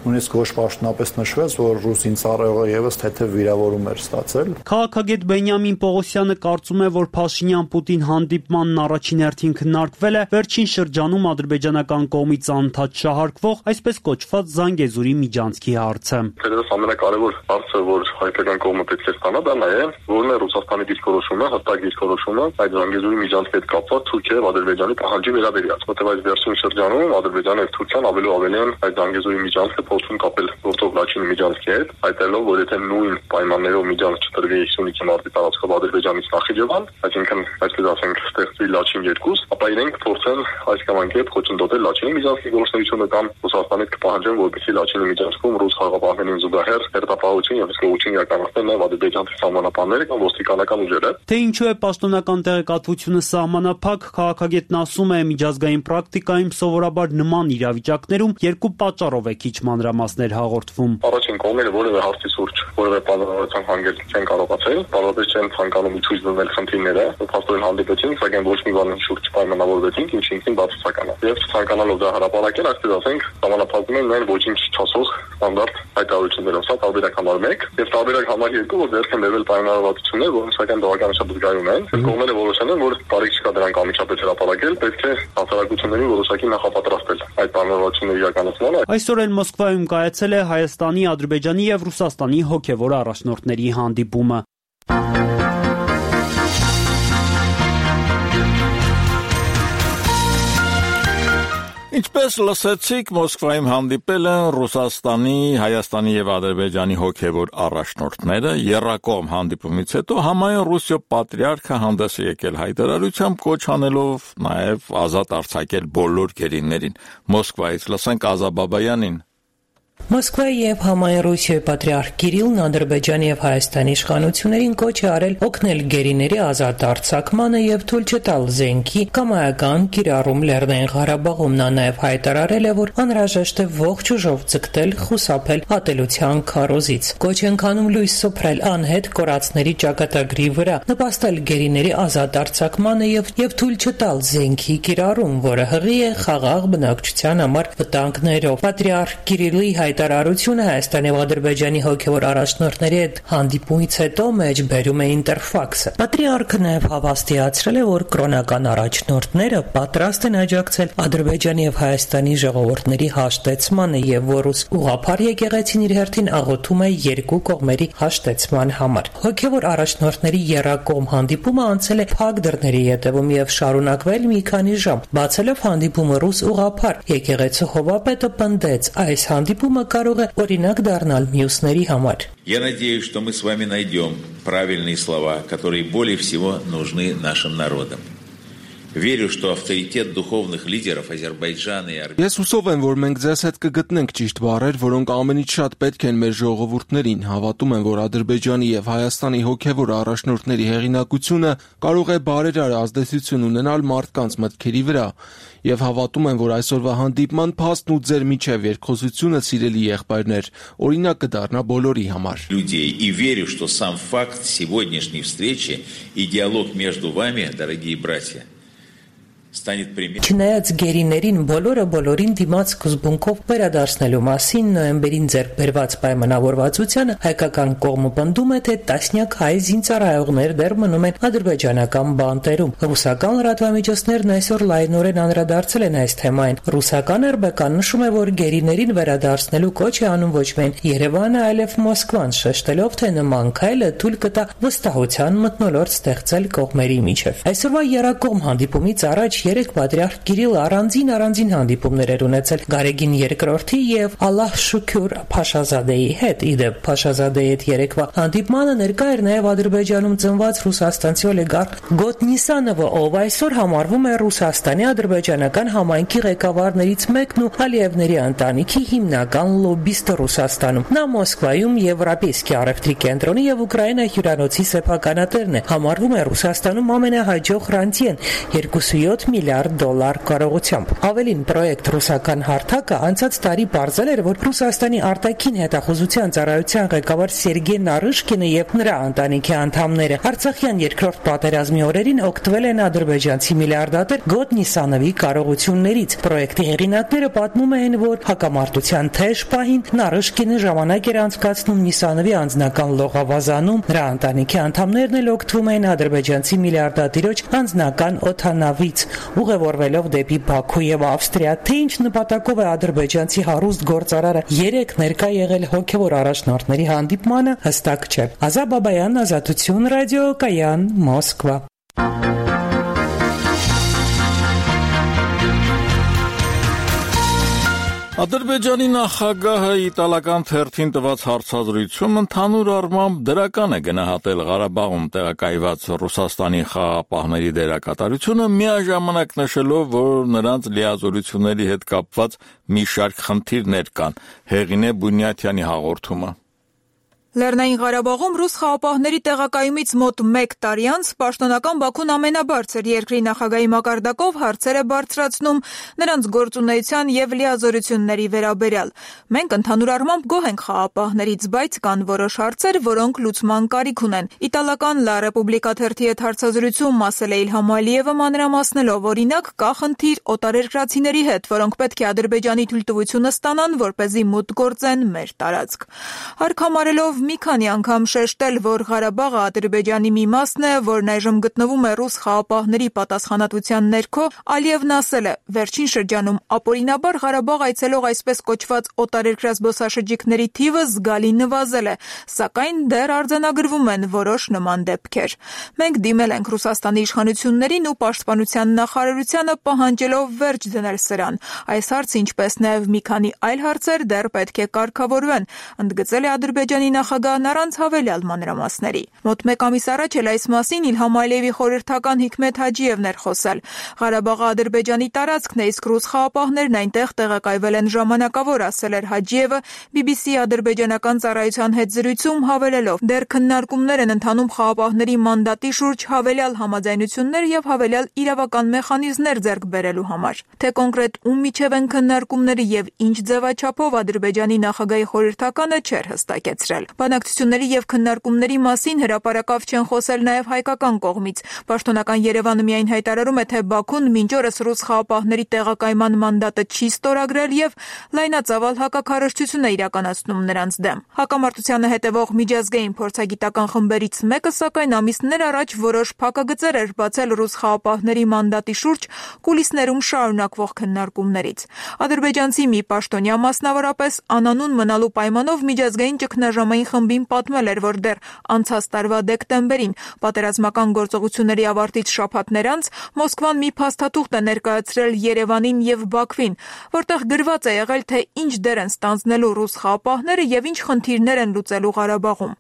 նույնիսկ ոչ պաշտոնապես նշվեց, որ ռուս ինձառողը եւս թեթև վիրավորում էր ստացել։ Քաղաքագետ Բենյամին Պողոսյանը կարծում է, որ Փաշինյան-Պուտին հանդիպմանն առաջին հերթին քննարկվել է վերջին շրջանում ադրբեջանական կողմից անընդհատ շահարկվող, այսպես կոչված Զանգեզուրի միջանցքի հարցը։ Դերևս ամենակարևոր հարցը, որ հայկական կողմը պետք է ստանա, դա նա է, որն է Ռուսաստանի դիրքորոշումը, հստակ դիրքորոշումը այդ Զանգեզուրի միջանցքի հետ կապված Թուրքիայի եւ Ադրբեջանի պահանջի վերաբերյալ։ Որտեղ այս վերջին շրջանում Ադրբեջանը եւ Թուրքիան ավելի ու ավելի են այդ Զանգեզուրի միջանցքը փորձում կապել գործող Լաչինի միջանցքի հետ, այդելով, որ եթե նույն պայմաններով միջանց չտրվի հիսունինը մարտի տարածքով Ադրբեջանից Նախիջևան, այսինքն այսպես ասենք ստեղծվի Լաչին երկու, ապա իրենք փորձեն այս կամ այն կերպ խոչընդոտել Լաչինի միջանցքի գործունեությունը կամ Ռուսաստանից կպահանջեն, որպեսզի Լաչինի միջանցքում ռուս խաղապահներին զուգահեռ հերթապահություն եւ հսկողություն իրականացնեն նաեւ ադրբեջանցի սահմանապահները կամ ոստիկանական ուժերը։ Թե ինչու է պաշտոնական տեղեկատվությունը սահմանափակ, քաղաքագետն ասում է, միջազգային պրակտիկայում սովորաբար նման իրավիճակներում երկու պատճառով է քիչ մանրամասներ հաղորդվում։ Առաջին կողմերը որևէ հարցի սուրճ, որևէ բանավորության հանգել չեն կարողացել, բավարար չեն ցանկանում ցույց տվել խնդիրները, փաստորեն հանդիպեցին, սակայն ոչ մի բանի շուրջ պայմանավորվեցին, ինչը ինքնին բացասական է։ Եվ ցանկանալով դա հրապարակել, այսպես ասենք, համանախապակում են նաև ոչինչ չասող ստանդարտ հայտարարություններով, սա տարբերակ համար մեկ, եւ տարբերակ համար երկու, որ դեռ են լեվել պայմանավորվածություններ, որոնք սակայն բավականաչափ զգայուն են։ Կողմերը որոշել են, որ տարիք չկա դրանք անմիջապես հրապարակել, պետք է հասարակությունների որոշակի նախապատրաստել այդ պայմանավորվածությունների իրականացմանը։ Այսօր էլ Մոսկվայում կայացել է Հայաստանի, Ադրբեջանի եւ Ռուսաստանի հոգեվոր առաջնորդների հանդիպումը։ Ինչպես լսեցիք, Մոսկվայում հանդիպել են Ռուսաստանի, Հայաստանի եւ Ադրբեջանի հոգեվոր առաջնորդները։ Եռակողմ հանդիպումից հետո համայն Ռուսիո պատրիարքը հանդես է եկել հայտարարությամբ, կոչ անելով նաեւ ազատ արձակել բոլոր գերիներին։ Մոսկվայից լսենք Ազա Բաբայանին։ Մոսկվայի եւ համայն Ռուսիայի պատրիարք Կիրիլն Ադրբեջանի եւ Հայաստանի իշխանություններին կոչ է արել օգնել գերիների ազատ արձակմանը եւ թույլ չտալ զենքի կամայական կիրառում Լեռնային Ղարաբաղում։ Նա նաեւ հայտարարել է, որ անհրաժեշտ է ողջ ուժով ձգտել, խուսափել ատելության քարոզից։ Կոչ են անում լույս սփռել անհետ կորածների ճակատագրի վրա, նպաստել գերիների ազատ արձակմանը եւ եւ թույլ չտալ զենքի կիրառում, որը հղի է խաղաղ բնակչության համար վտանգներով։ Պատրիարք Կիրիլի հայտարարությունը Հայաստանի եւ Ադրբեջանի հոգեվոր առաջնորդների հետ հանդիպումից հետո մեջբերում է Ինտերֆաքսը։ Պատրիարքը նաեւ հավաստիացրել է, որ կրոնական առաջնորդները պատրաստ են աջակցել Ադրբեջանի եւ Հայաստանի ժողովուրդների հաշտեցմանը եւ որ ռուս ուղղափառ եկեղեցին իր հերթին աղոթում է երկու կողմերի հաշտեցման համար։ Հոգեվոր առաջնորդների եռակողմ հանդիպումը անցել է փակ դռների ետևում եւ շարունակվել մի քանի ժամ։ Բացելով հանդիպումը ռուս ուղղափառ եկեղեցու հովապետը պնդեց, այս հանդիպումը կարող է օրինակ դառնալ մյուսների համար։ Я надеюсь, что мы с вами найдем правильные слова, которые более всего нужны нашим народам. Верю, что авторитет духовных лидеров Азербайджана и Армении. Ես հուսով եմ, որ մենք ձեզ հետ կգտնենք ճիշտ բառեր, որոնք ամենից շատ պետք են մեր ժողովուրդներին։ Հավատում եմ, որ Ադրբեջանի եւ Հայաստանի հոգեվոր առաջնորդների հեղինակությունը կարող է բարերար ազդեցություն ունենալ մարդկանց մտքերի վրա։ Եվ հավատում եմ, որ այսօրվա հանդիպման փաստն ու ձեր միջև երկխոսությունը, սիրելի եղբայրներ, օրինակ կդառնա բոլորի համար։ Людей и верю, что сам факт сегодняшней встречи и диалог между вами, дорогие братья, Չնայած գերիներին բոլորը բոլորին դիմաց սկզբունքով վերադարձնելու մասին նոյեմբերին ձեռք բերված պայմանավորվածությանը հայկական կողմը պնդում է, թե տասնյակ հայ զինծառայողներ դեռ մնում են ադրբեջանական բանտերում։ Ռուսական լրատվամիջոցներն այսօր լայնորեն անդրադարձել են այս թեմային։ Ռուսական эр бэ կան նշում է, որ գերիներին վերադարձնելու կոչ է անում ոչ միայն Երևանը, այլև Մոսկվան, շեշտելով, թե նման քայլը թույլ կտա վստահության մթնոլորտ ստեղծել կողմերի միջև։ Այսօրվա եռակողմ հանդիպումից առաջ երեք պատրիարք Կիրիլը առանձին առանձին հանդիպումներ էր ունեցել Գարեգին երկրորդի եւ Ալլահ Շուքյուր Փաշազադեի հետ։ Իդեպ Փաշազադեի հետ երեկվա հանդիպմանը ներկա էր նաեւ Ադրբեջանում ծնված ռուսաստանցի օլիգարխ Գոտ Նիսանովը, ով այսօր համարվում է Ռուսաստանի ադրբեջանական համայնքի ղեկավարներից մեկն ու Ալիևների ընտանիքի հիմնական լոբբիստը Ռուսաստանում։ Նա Մոսկվայում Եվրոպейский առևտրի կենտրոնի եւ Ուկրաինա հյուրանոցի սեփականատերն է։ Համարվում է Ռուսաստանում ամենահաջող ռանտյեն երկուսույոթ միլիարդ դոլար կարողությամբ։ Ավելին, պրոյեկտ «Ռուսական հարթակը» անցած տարի պարզել էր, որ Ռուսաստանի արտաքին հետախուզության ծառայության ղեկավար Սերգեյ Նարիշկինը եւ նրա ընտանիքի անդամները Արցախյան երկրորդ պատերազմի օրերին օգտվել են ադրբեջանցի միլիարդատեր Գոտնիսանովի կարողություններից։ Պրոյեկտի հեղինակները պատմում են, որ հակամարտության թեժ պահին Նարիշկինը ժամանակ էր անցկացնում Նիսանովի անձնական լողավազանում, նրա ընտանիքի անդամներն էլ օգտվում են ադրբեջանցի միլիարդատիրոջ անձնական օդանավից, ուղևորվելով դեպի Բաքու եւ Ավստրիա, թե ինչ նպատակով է ադրբեջանցի հարուստ գործարարը երեք ներկա եղել հոգեվոր առաջնորդների հանդիպմանը, հստակ չէ։ Ազա Բաբայան, Ազատություն ռադիո, Կայան, Մոսկվա։ Ադրբեջանի նախագահը իտալական թերթին տված հարցազրույցում ընդհանուր առմամբ դրական է գնահատել Ղարաբաղում տեղակայված Ռուսաստանի խաղաղապահների դերակատարությունը, միաժամանակ նշելով, որ նրանց լիազորությունների հետ կապված մի շարք խնդիրներ կան։ Հեղինե Բունյաթյանի հաղորդումը։ Լեռնային Ղարաբաղում ռուս խաղապահների տեղակայումից մոտ մեկ տարի անց պաշտոնական Բաքուն ամենաբարձր երկրի նախագահի մակարդակով հարցեր է բարձրացնում նրանց գործունեության եւ լիազորությունների վերաբերյալ։ Մենք ընդհանուր առմամբ գոհ ենք խաղապահներից, բայց կան որոշ հարցեր, որոնք լուծման կարիք ունեն։ Իտալական La Repubblica թերթի հետ հարցազրույցում ասել է Իլհամ Ալիևը մանրամասնելով, օրինակ, կա խնդիր օտարերկրացիների հետ, որոնք պետք է Ադրբեջանի թույլտվությունը ստանան, որպեսզի մուտք գործեն մեր տարածք։ Հարկ մի քանի անգամ շեշտել, որ Ղարաբաղը Ադրբեջանի մի մասն է, որն այժմ գտնվում է ռուս խաղապահների պատասխանատվության ներքո, Ալիևն ասել է, վերջին շրջանում ապօրինաբար Ղարաբաղ այցելող այսպես կոչված օտարերկրյա զբոսաշրջիկների թիվը զգալի նվազել է, սակայն դեռ արձանագրվում են որոշ նման դեպքեր։ Մենք դիմել ենք Ռուսաստանի իշխանություններին ու պաշտպանության նախարարությանը պահանջելով վերջ դնել սրան։ Այս հարցը, ինչպես նաև մի քանի այլ հարցեր դեռ պետք է կարգավորվեն, ընդգծել է Ադրբեջանի նախագահն առանց հավելյալ մանրամասների։ Մոտ մեկ ամիս առաջ էլ այս մասին Իլհամ Ալիևի խորհրդական Հիկմեթ Հաջիևն էր խոսել։ Ղարաբաղը Ադրբեջանի տարածքն է, իսկ ռուս խաղապահներն այնտեղ տեղակայվել են ժամանակավոր, ասել էր Հաջիևը բի բի սի ադրբեջանական ծառայության հետ զրույցում հավելելով. դեռ քննարկումներ են ընթանում խաղապահների մանդատի շուրջ հավելյալ համաձայնություններ եւ հավելյալ իրավական մեխանիզմներ ձեռք բերելու համար։ Թե կոնկրետ ում միջև են քննարկումները եւ ինչ ձևաչափով Ադրբեջանի նախագահի խորհրդականը չէր հստակեցրել։ Բանակցությունների եւ քննարկումների մասին հրապարակավ չեն խոսել նաեւ հայկական կողմից։ Պաշտոնական Երևանը միայն հայտարարում է, թե Բաքուն մինչ օրս ռուս խաղապահների տեղակայման մանդատը չի ստորագրել եւ լայնածավալ հակաքարոզչություն է իրականացնում նրանց դեմ։ Հակամարտությանը հետևող միջազգային փորձագիտական խմբերից մեկը, սակայն ամիսներ առաջ որոշ փակագծեր էր բացել ռուս խաղապահների մանդատի շուրջ կուլիսներում շարունակվող քննարկումներից։ Ադրբեջանցի մի պաշտոնյա մասնավորապես անանուն մնալու պայմանով միջազգային ճգնաժամային խմբին պատմել էր, որ դեռ անցած տարվա դեկտեմբերին պատերազմական գործողությունների ավարտից շաբաթներ անց Մոսկվան մի փաստաթուղթ է ներկայացրել Երևանին եւ Բաքվին, որտեղ գրված է եղել, թե ինչ դեր են ստանձնելու ռուս խաղապահները եւ ինչ խնդիրներ են լուծելու Ղարաբաղում։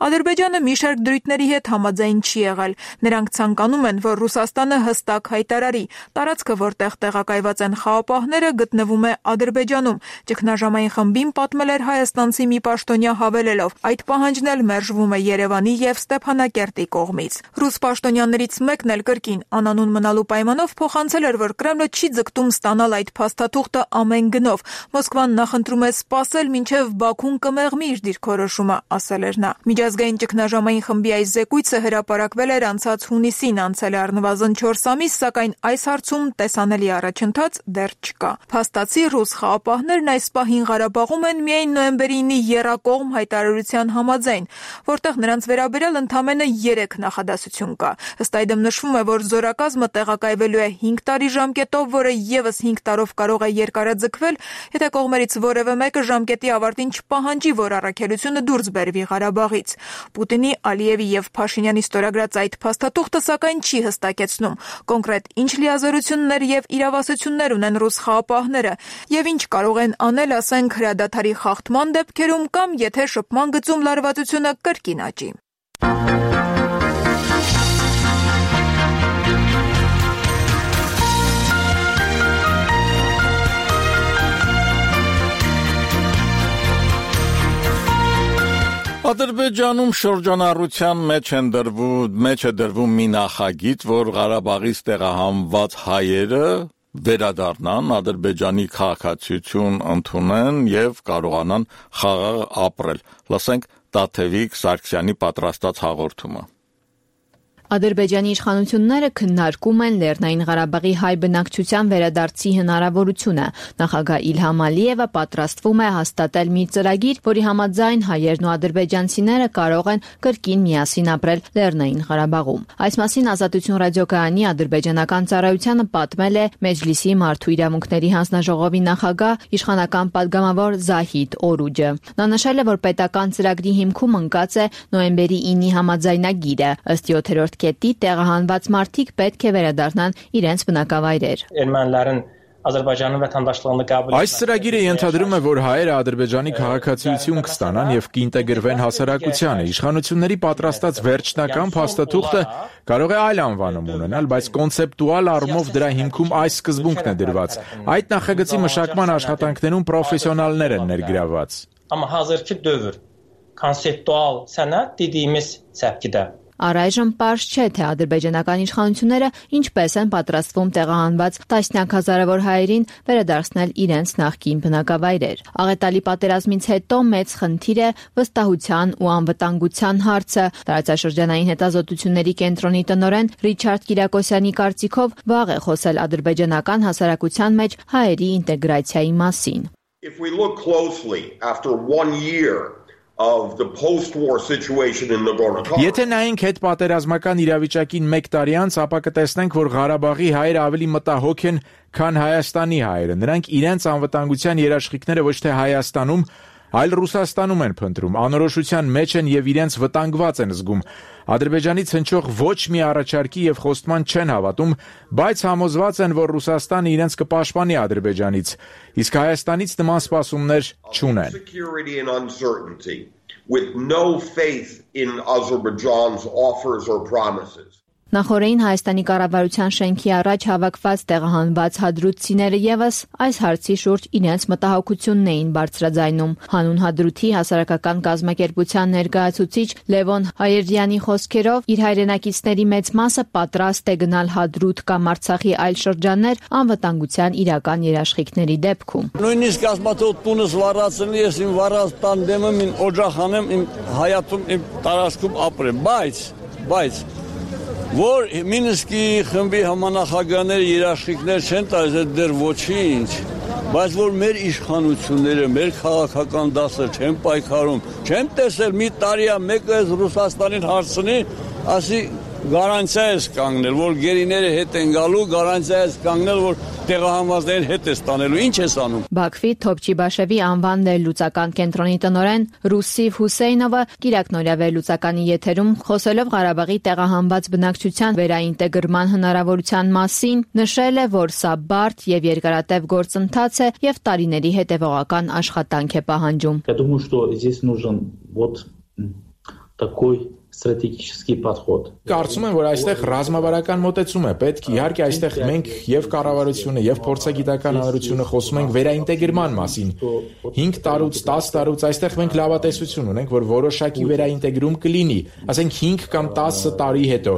Ադրբեջանը մի շարք դրույթների հետ համաձայն չի եղել։ Նրանք ցանկանում են, որ Ռուսաստանը հստակ հայտարարի. տարածքը, որտեղ տեղակայված են խաղապահները, գտնվում է Ադրբեջանում։ Ճգնաժամային խմբին պատմել էր հայաստանցի մի պաշտոնյա հավելելով. այդ պահանջն էլ մերժվում է Երևանի եւ Ստեփանակերտի կողմից։ Ռուս պաշտոնյաներից մեկն էլ կրկին անանուն մնալու պայմանով փոխանցել էր, որ Կրեմլը չի ձգտում ստանալ այդ փաստաթուղթը ամեն գնով։ Մոսկվան նախընտրում է սպասել, մինչև Բաքուն կմեղմի իր դիրքորոշումը, ասել էր նա։ Միջազգային ճգնաժամային խմբի այս զեկույցը հրապարակվել էր անցած հունիսին, անցել է առնվազն չորս ամիս, սակայն այս հարցում տեսանելի առաջընթաց դեռ չկա։ Փաստացի ռուս խաղապահներն այս պահին Ղարաբաղում են միայն նոյեմբերի ինի եռակողմ հայտարարության համաձայն, որտեղ նրանց վերաբերյալ ընդամենը երեք նախադասություն կա։ Ըստ այդմ նշվում է, որ զորակազմը տեղակայվելու է հինգ տարի ժամկետով, որը եւս հինգ տարով կարող է երկարաձգվել, եթե կողմերից որևէ մեկը ժամկետի ավարտին չպահանջի, որ առաքելությունը դուրս բերվի Ղարաբաղից։ Պուտինի, Ալիևի եւ Փաշինյանի ստորագրած այդ փաստաթուղթը սակայն չի հստակեցնում կոնկրետ ինչ լիազորություններ եւ իրավասություններ ունեն ռուս խաղապահները եւ ինչ կարող են անել, ասենք, հրադադարի խախտման դեպքերում կամ եթե շփման գծում լարվածությունը կրկին աճի։ Ադրբեջանում շրջանառության մեջ են դրվում մեջ է դրվում մի նախագիծ, որ Ղարաբաղից տեղահանված հայերը վերադառնան, Ադրբեջանի քաղաքացիություն ընդունեն եւ կարողանան խաղաղ ապրել։ Լսենք Տաթևիկ Սարգսյանի պատրաստած հաղորդումը։ Ադրբեջանի իշխանությունները քննարկում են Լեռնային Ղարաբաղի հայ բնակչության վերադարձի հնարավորությունը։ Նախագահ Իլհամ Ալիևը պատրաստվում է հաստատել մի ծրագիր, որի համաձայն հայերն ու ադրբեջանցիները կարող են կրկին միասին ապրել Լեռնային Ղարաբաղում։ Այս մասին Ազատություն ռադիոկայանի ադրբեջանական ծառայությանը պատմել է Մեջլիսի մարդու իրավունքների հանձնաժողովի նախագահ իշխանական падգամավոր Զահիդ Օրուջը։ Նա նշել է, որ պետական ծրագրի հիմքում ընկած է նոյեմբերի ինի համաձայնագիրը։ Ըստ յոթերորդ կետի տեղահանված մարդիկ պետք է վերադառնան իրենց բնակավայրեր։ Ermənilərin Azərbaycanın vətəndaşlığını qəbul Այս ծրագիրը ենթադրում է, որ հայերը Ադրբեջանի քաղաքացիություն կստանան եւ կինտեգրվեն հասարակությանը։ Իշխանությունների պատրաստած վերջնական փաստաթուղթը կարող է այլ անվանում ունենալ, բայց կոնցեպտուալ առումով դրա հիմքում այս սկզբունքն է դրված։ Այդ նախագծի մշակման աշխատանքներում պրոֆեսիոնալներ են ներգրավված։ Amma hazırki dövr konseptual sənət dediyimiz səpkidə Առայժմ պարզ չէ, թե ադրբեջանական իշխանությունները ինչպես են պատրաստվում տեղահանված տասնյակ հազարավոր հայերին վերադարձնել իրենց նախկին բնակավայրեր։ Աղետալի պատերազմից հետո մեծ խնդիր է վստահության ու անվտանգության հարցը։ Տարածաշրջանային հետազոտությունների կենտրոնի տնօրեն Ռիչարդ Կիրակոսյանի կարծիքով վաղ է խոսել ադրբեջանական հասարակության մեջ հայերի ինտեգրացիայի մասին։ If we look closely after one year of the post-war situation in Nagorno-Karabakh. Եթե նայենք հետ պատերազմական իրավիճակին մեկ տարի անց, ապա կտեսնենք, որ Ղարաբաղի հայերը ավելի մտահոգ են, քան Հայաստանի հայերը։ Նրանք իրենց անվտանգության երաշխիքները ոչ թե Հայաստանում, այլ Ռուսաստանում են փնտրում, անորոշության մեջ են եւ իրենց վտանգված են զգում։ Ադրբեջանից հնչող ոչ մի առաջարկի եւ խոստման չեն հավատում, բայց համոզված են, որ Ռուսաստանը իրենց կպաշտպանի Ադրբեջանից, իսկ Հայաստանից նման սպասումներ չունեն։ With no faith in Azerbaijan's offers or promises. Նախորդին Հայաստանի կառավարության շենքի առաջ հավաքված տեղահանված հադրութցիները եւս այս հարցի շուրջ իրենց մտահոգությունն էին բարձրաձայնում։ Հանուն հադրութի հասարակական կազմակերպության ներկայացուցիչ Լևոն Հայերյանի խոսքերով իր հայրենակիցների մեծ մասը պատրաստ է գնալ հադրութ կամ Արցախի այլ շրջաններ անվտանգության իրական երաշխիքների դեպքում։ Նույնիսկ ասմաթոտ տունս վառածնի ես իմ վառած տան դեմը իմ օջախ անեմ իմ հայատում իմ տարածքում ապրեմ, բայց բայց որ Մինսկի խմբի համանախագահները երաշխիքներ չեն տալիս դեռ ոչինչ, բայց որ մեր իշխանությունները, մեր քաղաքական դասը չեն պայքարում, չեն տեսել մի տարիա մեկը Ռուսաստանին հարցնի, ասի գարանտիա ես կանգնել, որ գերիները հետ են գալու, գարանտիա ես կանգնել, որ տեղահանվածներին հետ է ստանելու, ինչ ես անում։ Բաքվի Թոփչիբաշևի անվան վերլուծական կենտրոնի տնօրեն Ռուսիվ Հուսեյնովը Կիրակնորյա վերլուծականի եթերում խոսելով Ղարաբաղի տեղահանված բնակչության վերաինտեգրման հնարավորության մասին նշել է, որ սա բարդ եւ երկարատև գործընթաց է եւ տարիների հետեւողական աշխատանք է պահանջում։ Я думаю, что здесь нужен вот такой strategic подход. Կարծում եմ, որ այստեղ ռազմավարական մոտեցում է պետք։ Իհարկե, այստեղ մենք եւ կառավարությունը եւ փորձագիտական հանրությունը խոսում ենք վերաինտեգրման մասին։ հինգ տարուց տասը տարուց այստեղ մենք լավատեսություն ունենք, որ որոշակի վերաինտեգրում կլինի, ասենք հինգ կամ տասը տարի հետո։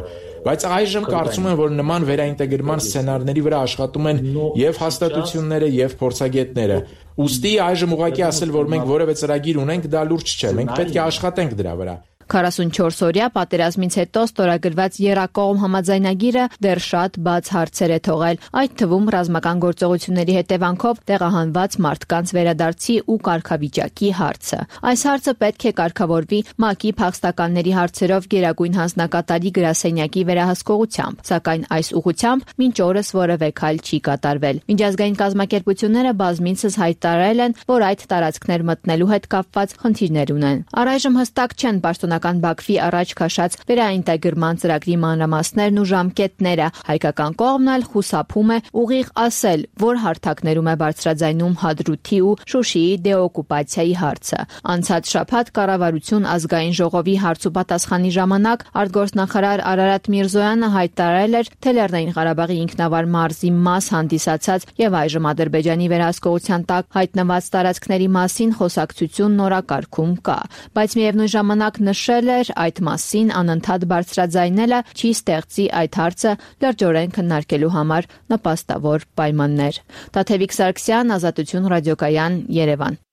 Բայց այժմ կարծում եմ, որ նման վերաինտեգրման սցենարների վրա աշխատում են եւ հաստատությունները եւ փորձագետները։ Ուստի այժմ ուղղակի ասել, որ մենք որևէ ծրագիր ունենք, դա լուրջ չէ։ Մենք պետք է աշխատենք դրա վրա։ քառասունչորս օրյա պատերազմից հետո ստորագրված եռակողմ համաձայնագիրը դեռ շատ բաց հարցեր է թողել, այդ թվում ռազմական գործողությունների հետևանքով տեղահանված մարդկանց վերադարձի ու կարգավիճակի հարցը։ Այս հարցը պետք է կարգավորվի ՄԱԿ-ի փախստականների հարցերով գերագույն հանձնակատարի գրասենյակի վերահսկողությամբ, սակայն այս ուղղությամբ մինչ օրս որևէ քայլ չի կատարվել։ Միջազգային կազմակերպությունները բազմիցս հայտարարել են, որ այդ տարածքներ մտնելու հետ կապված խնդիրներ ունեն։ Առայժմ հստակ չեն պաշտոնական ադրբեջանական Բաքվի առաջ քաշած վերաինտեգրման ծրագրի մանրամասներն ու ժամկետները։ Հայկական կողմն էլ խուսափում է ուղիղ ասել, որ հարթակներում է բարձրաձայնում Հադրութի ու Շուշիի դեօկուպացիայի հարցը։ Անցած շաբաթ կառավարություն ազգային ժողովի հարց ու պատասխանի ժամանակ արտգործնախարար Արարատ Միրզոյանը հայտարարել էր, թե Լեռնային Ղարաբաղի ինքնավար մարզի մաս հանդիսացած եւ այժմ Ադրբեջանի վերահսկողության տակ հայտնված տարածքների մասին խոսակցություն նորակարգում կա, բայց միևնույն ժամանակ նշել էր, այդ մասին անընդհատ բարձրաձայնելը չի ստեղծի այդ հարցը լրջորեն քննարկելու համար նպաստավոր պայմաններ։ Տաթևիկ Սարգսյան, Ազատություն ռադիոկայան, Երևան։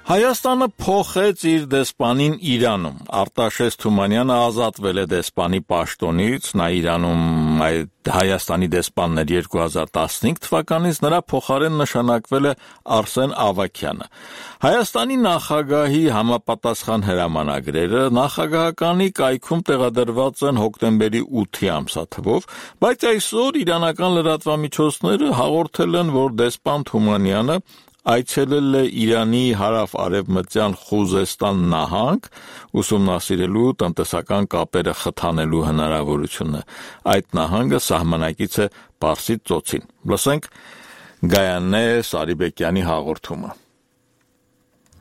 Հայաստանը փոխեց իր դեսպանին Իրանում։ Արտաշես Թումանյանը ազատվել է դեսպանի պաշտոնից, նա Իրանում այդ Հայաստանի դեսպանն էր երկու հազար տասնհինգ թվականից, նրա փոխարեն նշանակվել է Արսեն Ավագյանը։ Հայաստանի նախագահի համապատասխան հրամանագրերը նախագահականի կայքում տեղադրված են հոկտեմբերի ութի ամսաթվով, բայց այսօր իրանական լրատվամիջոցները հաղորդել են, որ դեսպան Թումանյանը այցելել է Իրանի հարավ-արևմտյան Խուզեստան նահանգ ուսումնասիրելու տնտեսական կապերը խթանելու հնարավորությունը։ Այդ նահանգը սահմանակից է Պարսից ծոցին։ Լսենք Գայանե Սարիբեկյանի հաղորդումը։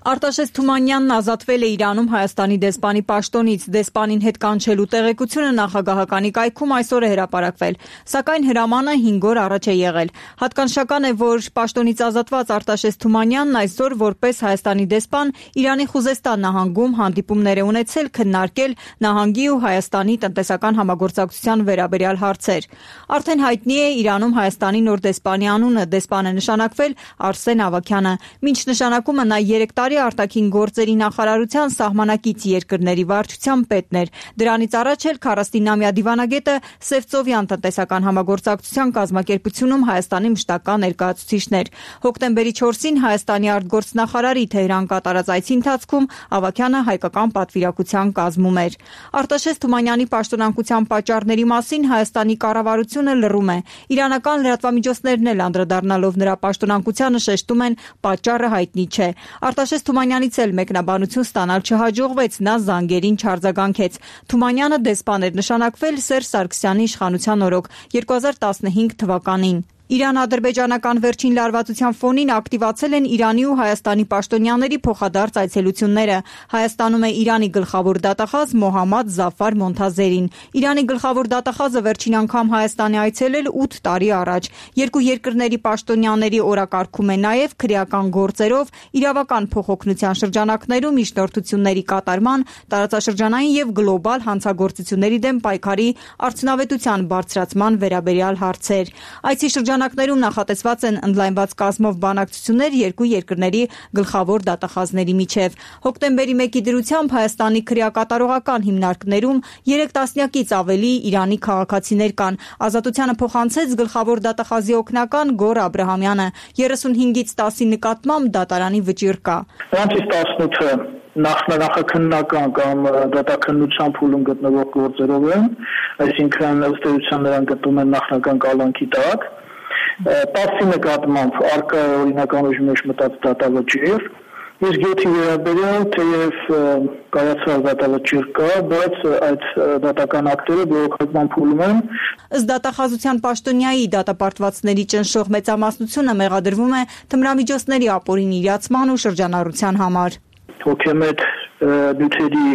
Արտաշես Թումանյանն ազատվել է Իրանում Հայաստանի դեսպանի պաշտոնից, դեսպանին հետ կանչելու տեղեկությունը նախագահականի կայքում այսօր է հրապարակվել, սակայն հրամանը հինգ օր առաջ է եղել։ Հատկանշական է, որ պաշտոնից ազատված Արտաշես Թումանյանն այսօր որպես Հայաստանի դեսպան Իրանի Խուզեստան նահանգում հանդիպումներ է ունեցել քննարկել նահանգի ու Հայաստանի տնտեսական համագործակցության վերաբերյալ հարցեր։ Արդեն հայտնի է Իրանում Հայաստանի նոր դեսպանի անունը, դեսպան է նշանակվել Արսեն Ավագյանը, մինչ նշանակումը նա երեք տարի արտաքին գործերի նախարարության սահմանակից երկրների վարչության պետն էր։ Դրանից առաջ էլ քառասունամյա դիվանագետը Սևծովյան տնտեսական համագործակցության կազմակերպությունում Հայաստանի մշտական ներկայացուցիչն էր։ Հոկտեմբերի չորսին Հայաստանի արտգործնախարարի Թեհրան կատարած այցի ընթացքում Ավագյանը հայկական պատվիրակության կազմում էր։ Արտաշես Թումանյանի պաշտոնանկության պատճառների մասին Հայաստանի կառավարությունը լռում է։ Իրանական լրատվամիջոցներն էլ անդրադառնալով նրա պաշտոնանկությանը շեշտում են, պատճառը հայտնի չէ։ Արտաշես Թումանյանից էլ մեկնաբանություն ստանալ չհաջողվեց, նա զանգերին չարձագանքեց։ Թումանյանը դեսպան էր նշանակվել Սերժ Սարգսյանի իշխանության օրոք երկու հազար տասնհինգ թվականին։ Իրան-ադրբեջանական վերջին լարվածության ֆոնին ակտիվացել են Իրանի ու Հայաստանի պաշտոնյաների փոխադարձ այցելությունները։ Հայաստանում է Իրանի գլխավոր դատախազ Մոհամմադ Զաֆար Մոնթազերին։ Իրանի գլխավոր դատախազը վերջին անգամ Հայաստան է այցելել ութ տարի առաջ։ Երկու երկրների պաշտոնյաների օրակարգում է նաև քրեական գործերով, իրավական փոխօգնության շրջանակներում միջնորդությունների կատարման, տարածաշրջանային եւ գլոբալ հանցագործությունների դեմ պայքարի արդյունավետության բարձրացման վերաբերյալ հարցեր։ Այցի շրջանակներում նախատեսված են ընդլայնված կազմով բանակցություններ երկու երկրների գլխավոր դատախազների միջև։ Հոկտեմբերի մեկի դրությամբ Հայաստանի քրեակատարողական հիմնարկներում երեք տասնյակից ավելի Իրանի քաղաքացիներ կան։ Ազատությանը փոխանցեց գլխավոր դատախազի օգնական Գոր Աբրահամյանը։ երեսունհինգից տասի նկատմամբ դատարանի վճիռ կա։ Նրանցից տասնութը նախնախքննական կամ դատաքննության փուլում գտնվող գործերով են, այսինքն ըստ էության նրանք գտնվում են նախնական կալանքի տակ։ տասի նկատմամբ արկա օրինական ուժի մեջ մտած դատավճիռ, իսկ յոթի վերաբերյալ թեև կայացած դատավճիռ կա, բայց այդ դատական ակտերը բողոքական փուլում են։ Ըստ դատախազության պաշտոնյայի դատապարտվածների ճնշող մեծամասնությունը մեղադրվում է թմրամիջոցների ապօրինի իրացման ու շրջանառության համար։ Հոգեմետ նյութերի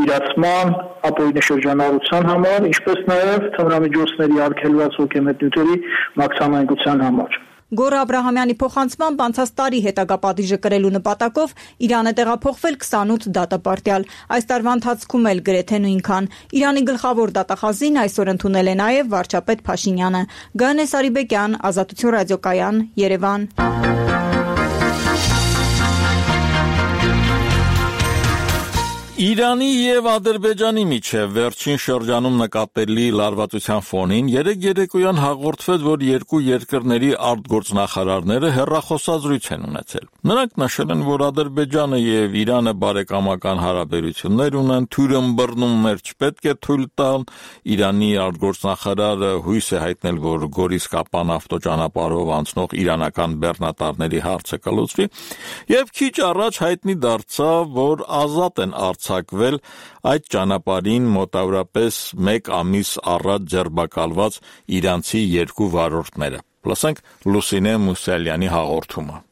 իրացման, ապօրինի շրջանառության համար, ինչպես նաև թմրամիջոցների արգելված հոգեմետ նյութերի մաքսանայնության համար։ Գոր Աբրահամյանի փոխանցմամբ անցած տարի հետագա պատիժը կրելու նպատակով Իրանը տեղափոխվել քսանութ դատապարտյալ։ Այս տարվա ընթացքում էլ գրեթե նույնքան։ Իրանի գլխավոր դատախազին այսօր ընդունել է նաև վարչապետ Փաշինյանը։ Գայանե Սարիբեկյան, Ազատություն ռադիոկայան, Երևան։ Իրանի եւ Ադրբեջանի միջև վերջին շրջանում նկատելի լարվածության ֆոնին երեկ երեկոյան հաղորդվեց, որ երկու երկրների արտգործնախարարները հեռախոսազրույց են ունեցել։ Նրանք նշել են, որ Ադրբեջանը եւ Իրանը բարեկամական հարաբերություններ ունեն, թյուրըմբռնումներ չպետք է թույլ տան։ Իրանի արտգործնախարարը հույս է հայտնել, որ Գորիս-Կապան ավտոճանապարհով անցնող իրանական բեռնատարների հարցը կլուծվի, եւ քիչ առաջ հայտնի դարձավ, որ ազատ են արձակվել այդ ճանապարհին մոտավորապես մեկ ամիս առաջ ձերբակալված իրանցի երկու վարորդները։ Լսենք Լուսինե Մուսալյանի հաղորդումը։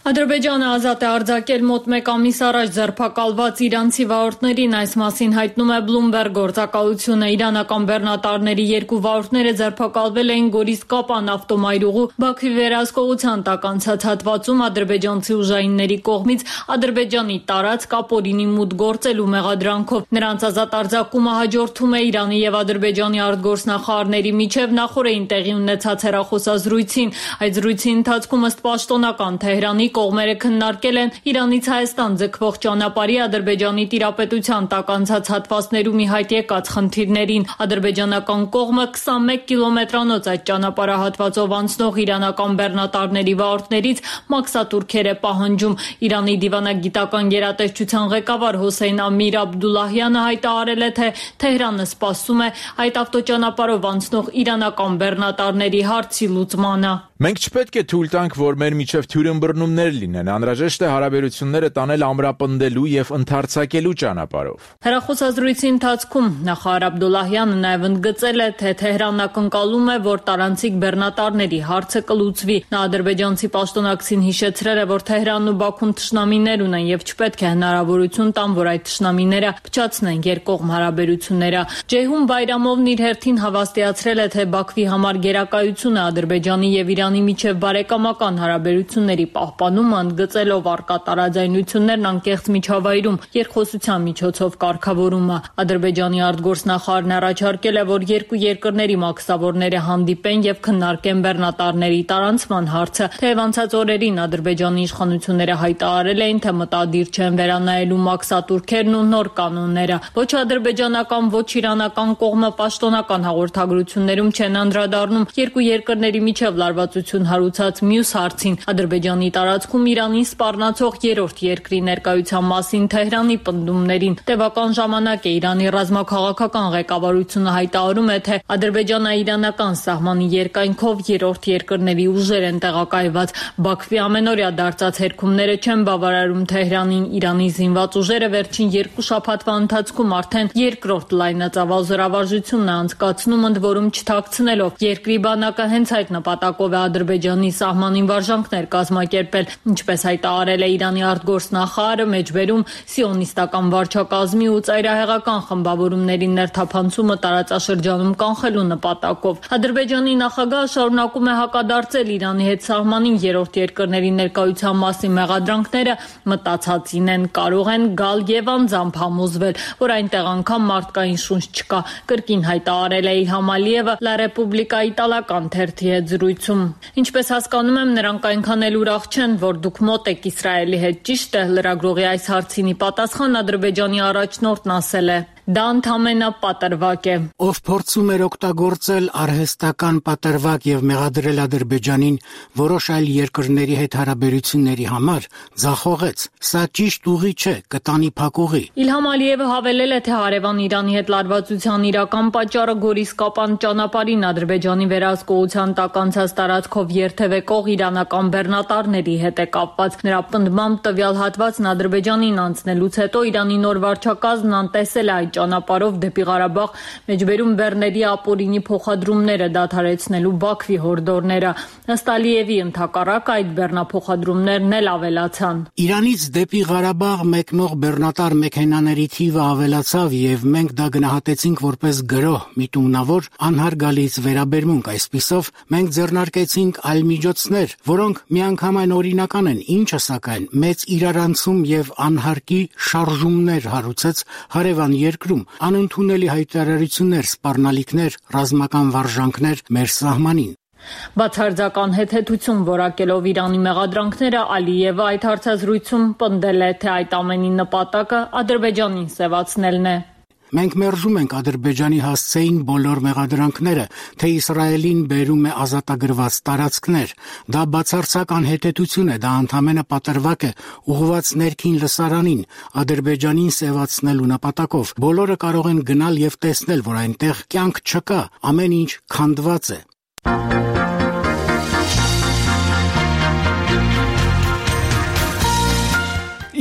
Ադրբեջանը ազատ է արձակել մոտ մեկ ամիս առաջ ձերբակալված իրանցի վարորդներին, այս մասին հայտնում է Bloomberg գործակալությունը։ Իրանական բեռնատարների երկու վարորդները ձերբակալվել էին Գորիս-Կապան ավտոմայրուղու Բաքվի վերահսկողության տակ անցած հատվածում ադրբեջանցի ուժայինների կողմից Ադրբեջանի տարածք ապօրինի մուտք գործելու մեղադրանքով։ Նրանց ազատ արձակումը հաջորդում է Իրանի եւ Ադրբեջանի արտգործնախարարների միջև նախորդին տեղի ունեցած հեռախոսազրույցին։ Այդ զրույցի ընթացքում ըստ պաշտոնական Թեհրանի կողմերը քննարկել են Իրանից Հայաստան ձգվող ճանապարհի Ադրբեջանի տիրապետության տակ անցած հատվածներում ի հայտ եկած խնդիրներին։ Ադրբեջանական կողմը քսանմեկ կիլոմետրանոց այդ ճանապարհահատվածով անցնող իրանական բեռնատարների վարորդներից մաքսատուրքեր է պահանջում։ Իրանի դիվանագիտական գերատեսչության ղեկավար Հոսեյն Ամիր Աբդուլլահյանը հայտարարել է, թե Թեհրանը սպասում է այդ ավտոճանապարհով անցնող իրանական բեռնատարների հարցի լուծմանը։ Մենք չպետք է թույլ տանք, որ մեր միջև թյուրըմբռնումներ լինեն, անհրաժեշտ է հարաբերությունները տանել ամրապնդելու եւ ընդարձակելու ճանապարհով։ Հեռախոսազրույցի ընթացքում նախարար Աբդուլլահյանը նաեւ ընդգծել է, թե Թեհրանն ակնկալում է, որ տարանցիկ բեռնատարների հարցը կլուծվի։ Նա ադրբեջանցի պաշտոնակցին հիշեցրել է, որ Թեհրանն ու Բաքուն թշնամիներ ունեն եւ չպետք է հնարավորություն տան, որ այդ թշնամիները փչացնեն երկկողմ հարաբերությունները։ Ջեյհուն Բայրամովն իր հերթին հավաստիացրել է, թե Բաքվի համար գերակայությունը Ադրբեջանի եւ Իրանի միջև բարեկամական հարաբերությունների պահպանումը, ընդգծելով առկա տարաձայնություններն անկեղծ միջավայրում երկխոսության միջոցով կարգավորումը։ Ադրբեջանի արտգործնախարարն առաջարկել է, որ երկու երկրների մաքսավորները հանդիպեն եւ քննարկեն բեռնատարների տարանցման հարցը։ Թեև անցած օրերին Ադրբեջանի իշխանությունները հայտարարել էին, թե մտադիր չեն վերանայելու մաքսատուրքերն ու նոր կանոնները։ Ոչ ադրբեջանական, ոչ իրանական կողմը պաշտոնական հաղորդագրություններում չեն անդրադառնում երկու երկրների միջև լարվածություն հարուցած մյուս հարցին՝ Ադրբեջանի տարածքում Իրանին սպառնացող երրորդ երկրի ներկայության մասին Թեհրանի պնդումներին։ Տևական ժամանակ է Իրանի ռազմաքաղաքական ղեկավարությունը հայտարարում է, թե ադրբեջանա-իրանական սահմանի երկայնքով երրորդ երկրների ուժեր են տեղակայված։ Բաքվի ամենօրյա դարձած հերքումները չեն բավարարում Թեհրանին։ Իրանի զինված ուժերը վերջին երկու շաբաթվա ընթացքում արդեն երկրորդ լայնածավալ զորավարժությունն է անցկացնում, ընդ որում չթաքցնելով երկրի բանակը հենց այդ նպատակով է Ադրբեջանի սահմանին վարժանքներ կազմակերպել, ինչպես հայտարարել է Իրանի արտգործնախարարը, մեջբերում սիոնիստական վարչակազմի ու ծայրահեղական խմբավորումների ներթափանցումը տարածաշրջանում կանխելու նպատակով։ Ադրբեջանի նախագահը շարունակում է հակադարձել Իրանի հետ սահմանին երրորդ երկրների ներկայության մասին մեղադրանքները մտածածին են, կարող են գալ եւ անձամբ համոզվել, որ այնտեղ անգամ մարդկային շունչ չկա, կրկին հայտարարել է Իլհամ Ալիևը La Repubblica իտալական թերթի հետ զրույցում։ Ինչպես հասկանում եմ, նրանք այնքան էլ ուրախ չեն, որ դուք մոտ եք Իսրայելի հետ, ճիշտ է։ Լրագրողի այս հարցին ի պատասխան Ադրբեջանի առաջնորդն ասել է. Դա ընդհանրապես պատրվակ է։ Ով փորձում էր օգտագործել արհեստական պատրվակ եւ մեղադրել Ադրբեջանին որոշ այլ երկրների հետ հարաբերությունների համար, ձախողեց։ Սա ճիշտ ուղի չէ, կտանի փակուղի։ Իլհամ Ալիևը հավելել է, թե հարևան Իրանի հետ լարվածության իրական պատճառը Գորիս-Կապան ճանապարհին Ադրբեջանի վերահսկողության տակ անցած տարածքով երթևեկող իրանական բեռնատարների հետ է կապված։ Նրա պնդմամբ տվյալ հատվածն Ադրբեջանին անցնելուց հետո Իրանի նոր վարչակազմն անտեսել է այդ ճանապարհով դեպի Ղարաբաղ մեջբերում բեռների ապօրինի փոխադրումները դադարեցնելու Բաքվի հորդորները։ Ըստ Ալիևի ընդհակառակ այդ բեռնափոխադրումներն էլ ավելացան։ Իրանից դեպի Ղարաբաղ մեկնող բեռնատար մեքենաների թիվը ավելացավ եւ մենք դա գնահատեցինք որպես գրոհ, միտումնավոր անհարգալից վերաբերմունք։ Այսպիսով մենք ձեռնարկեցինք այլ միջոցներ, որոնք միանգամայն օրինական են, ինչը սակայն մեծ իրարանցում եւ անհարկի շարժումներ հարուցեց հարևան երկրում, անընդունելի հայտարարություններ, սպառնալիքներ, ռազմական վարժանքներ մեր սահմանին։ Բացարձական հետհետություն որակելով Իրանի մեղադրանքները, Ալիևը այդ հարցազրույցում պնդել է, թե այդ ամենի նպատակը Ադրբեջանին սևացնելն է։ Մենք մերժում ենք Ադրբեջանի հասցեին բոլոր մեղադրանքները, թե Իսրայելին բերում է ազատագրված տարածքներ։ Դա բացարձակ անհետեցություն է, դա ընդամենը պատրվակ է ուղղված ներքին լսարանին, Ադրբեջանին սևացնելու նպատակով։ Բոլորը կարող են գնալ եւ տեսնել, որ այնտեղ կյանք չկա, ամեն ինչ քանդված է։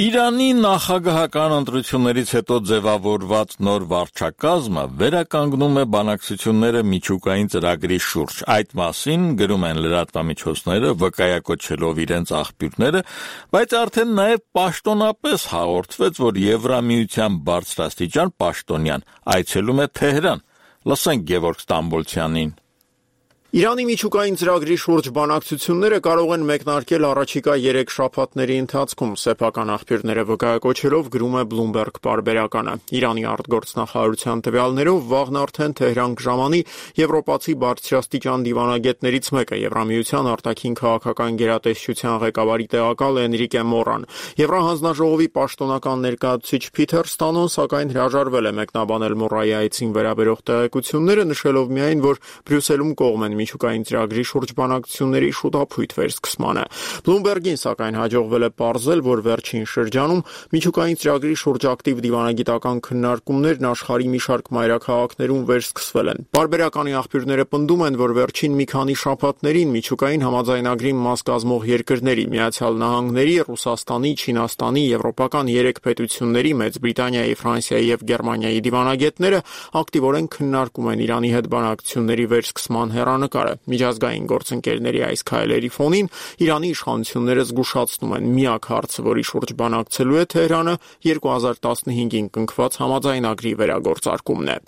Իրանի նախագահական ընտրություններից հետո ձևավորված նոր վարչակազմը վերականգնում է բանակցությունները միջուկային ծրագրի շուրջ։ Այդ մասին գրում են լրատվամիջոցները, վկայակոչելով իրենց աղբյուրները, բայց արդեն նաև պաշտոնապես հաղորդվեց, որ Եվրամիության բարձրաստիճան պաշտոնյան այցելում է Թեհրան։ Լսենք Գևորգ Ստամբոլցյանին։ Իրանի միջուկային ծրագրի շուրջ բանակցությունները կարող են մեկնարկել առաջիկա երեք շաբաթների ընթացքում, սեփական աղբյուրները վկայակոչելով գրում է Bloomberg պարբերականը։ Իրանի արտգործնախարարության տվյալներով վաղն արդեն Թեհրան կժամանի եվրոպացի բարձրաստիճան դիվանագետներից մեկը, Եվրամիության արտաքին քաղաքական գերատեսչության ղեկավարի տեղակալ Էնրիկե Մորան։ Եվրահանձնաժողովի պաշտոնական ներկայացուցիչ Փիթեր Ստանոն սակայն հրաժարվել է մեկնաբանել Մորայի այցին վերաբերող տեղեկությունները, նշելով միայն, որ Բրյուսելում կողմ են միջուկային ծրագրի շուրջ բանակցությունների շուտափույթ վերսկսմանը։ Bloomberg-ին սակայն հաջողվել է պարզել, որ վերջին շրջանում միջուկային ծրագրի շուրջ ակտիվ դիվանագիտական քննարկումներն աշխարհի մի շարք մայրաքաղաքներում վերսկսվել են։ Պարբերականի աղբյուրները պնդում են, որ վերջին մի քանի շաբաթներին միջուկային համաձայնագրի մաս կազմող երկրների՝ Միացյալ Նահանգների, Ռուսաստանի, Չինաստանի, եվրոպական երեք պետությունների՝ Մեծ Բրիտանիայի, Ֆրանսիայի եւ Գերմանիայի դիվանագետները ակտիվորեն քննարկում են Իրանի հետ բանակցությունների վերսկսման հեռանկարը։ Միջազգային գործընկերների այս քայլերի ֆոնին Իրանի իշխանությունները զգուշացնում են միակ հարցը, որի շուրջ բանակցելու է Թեհրանը, երկու հազար տասնհինգին կնքված համաձայնագրի վերագործարկումն է։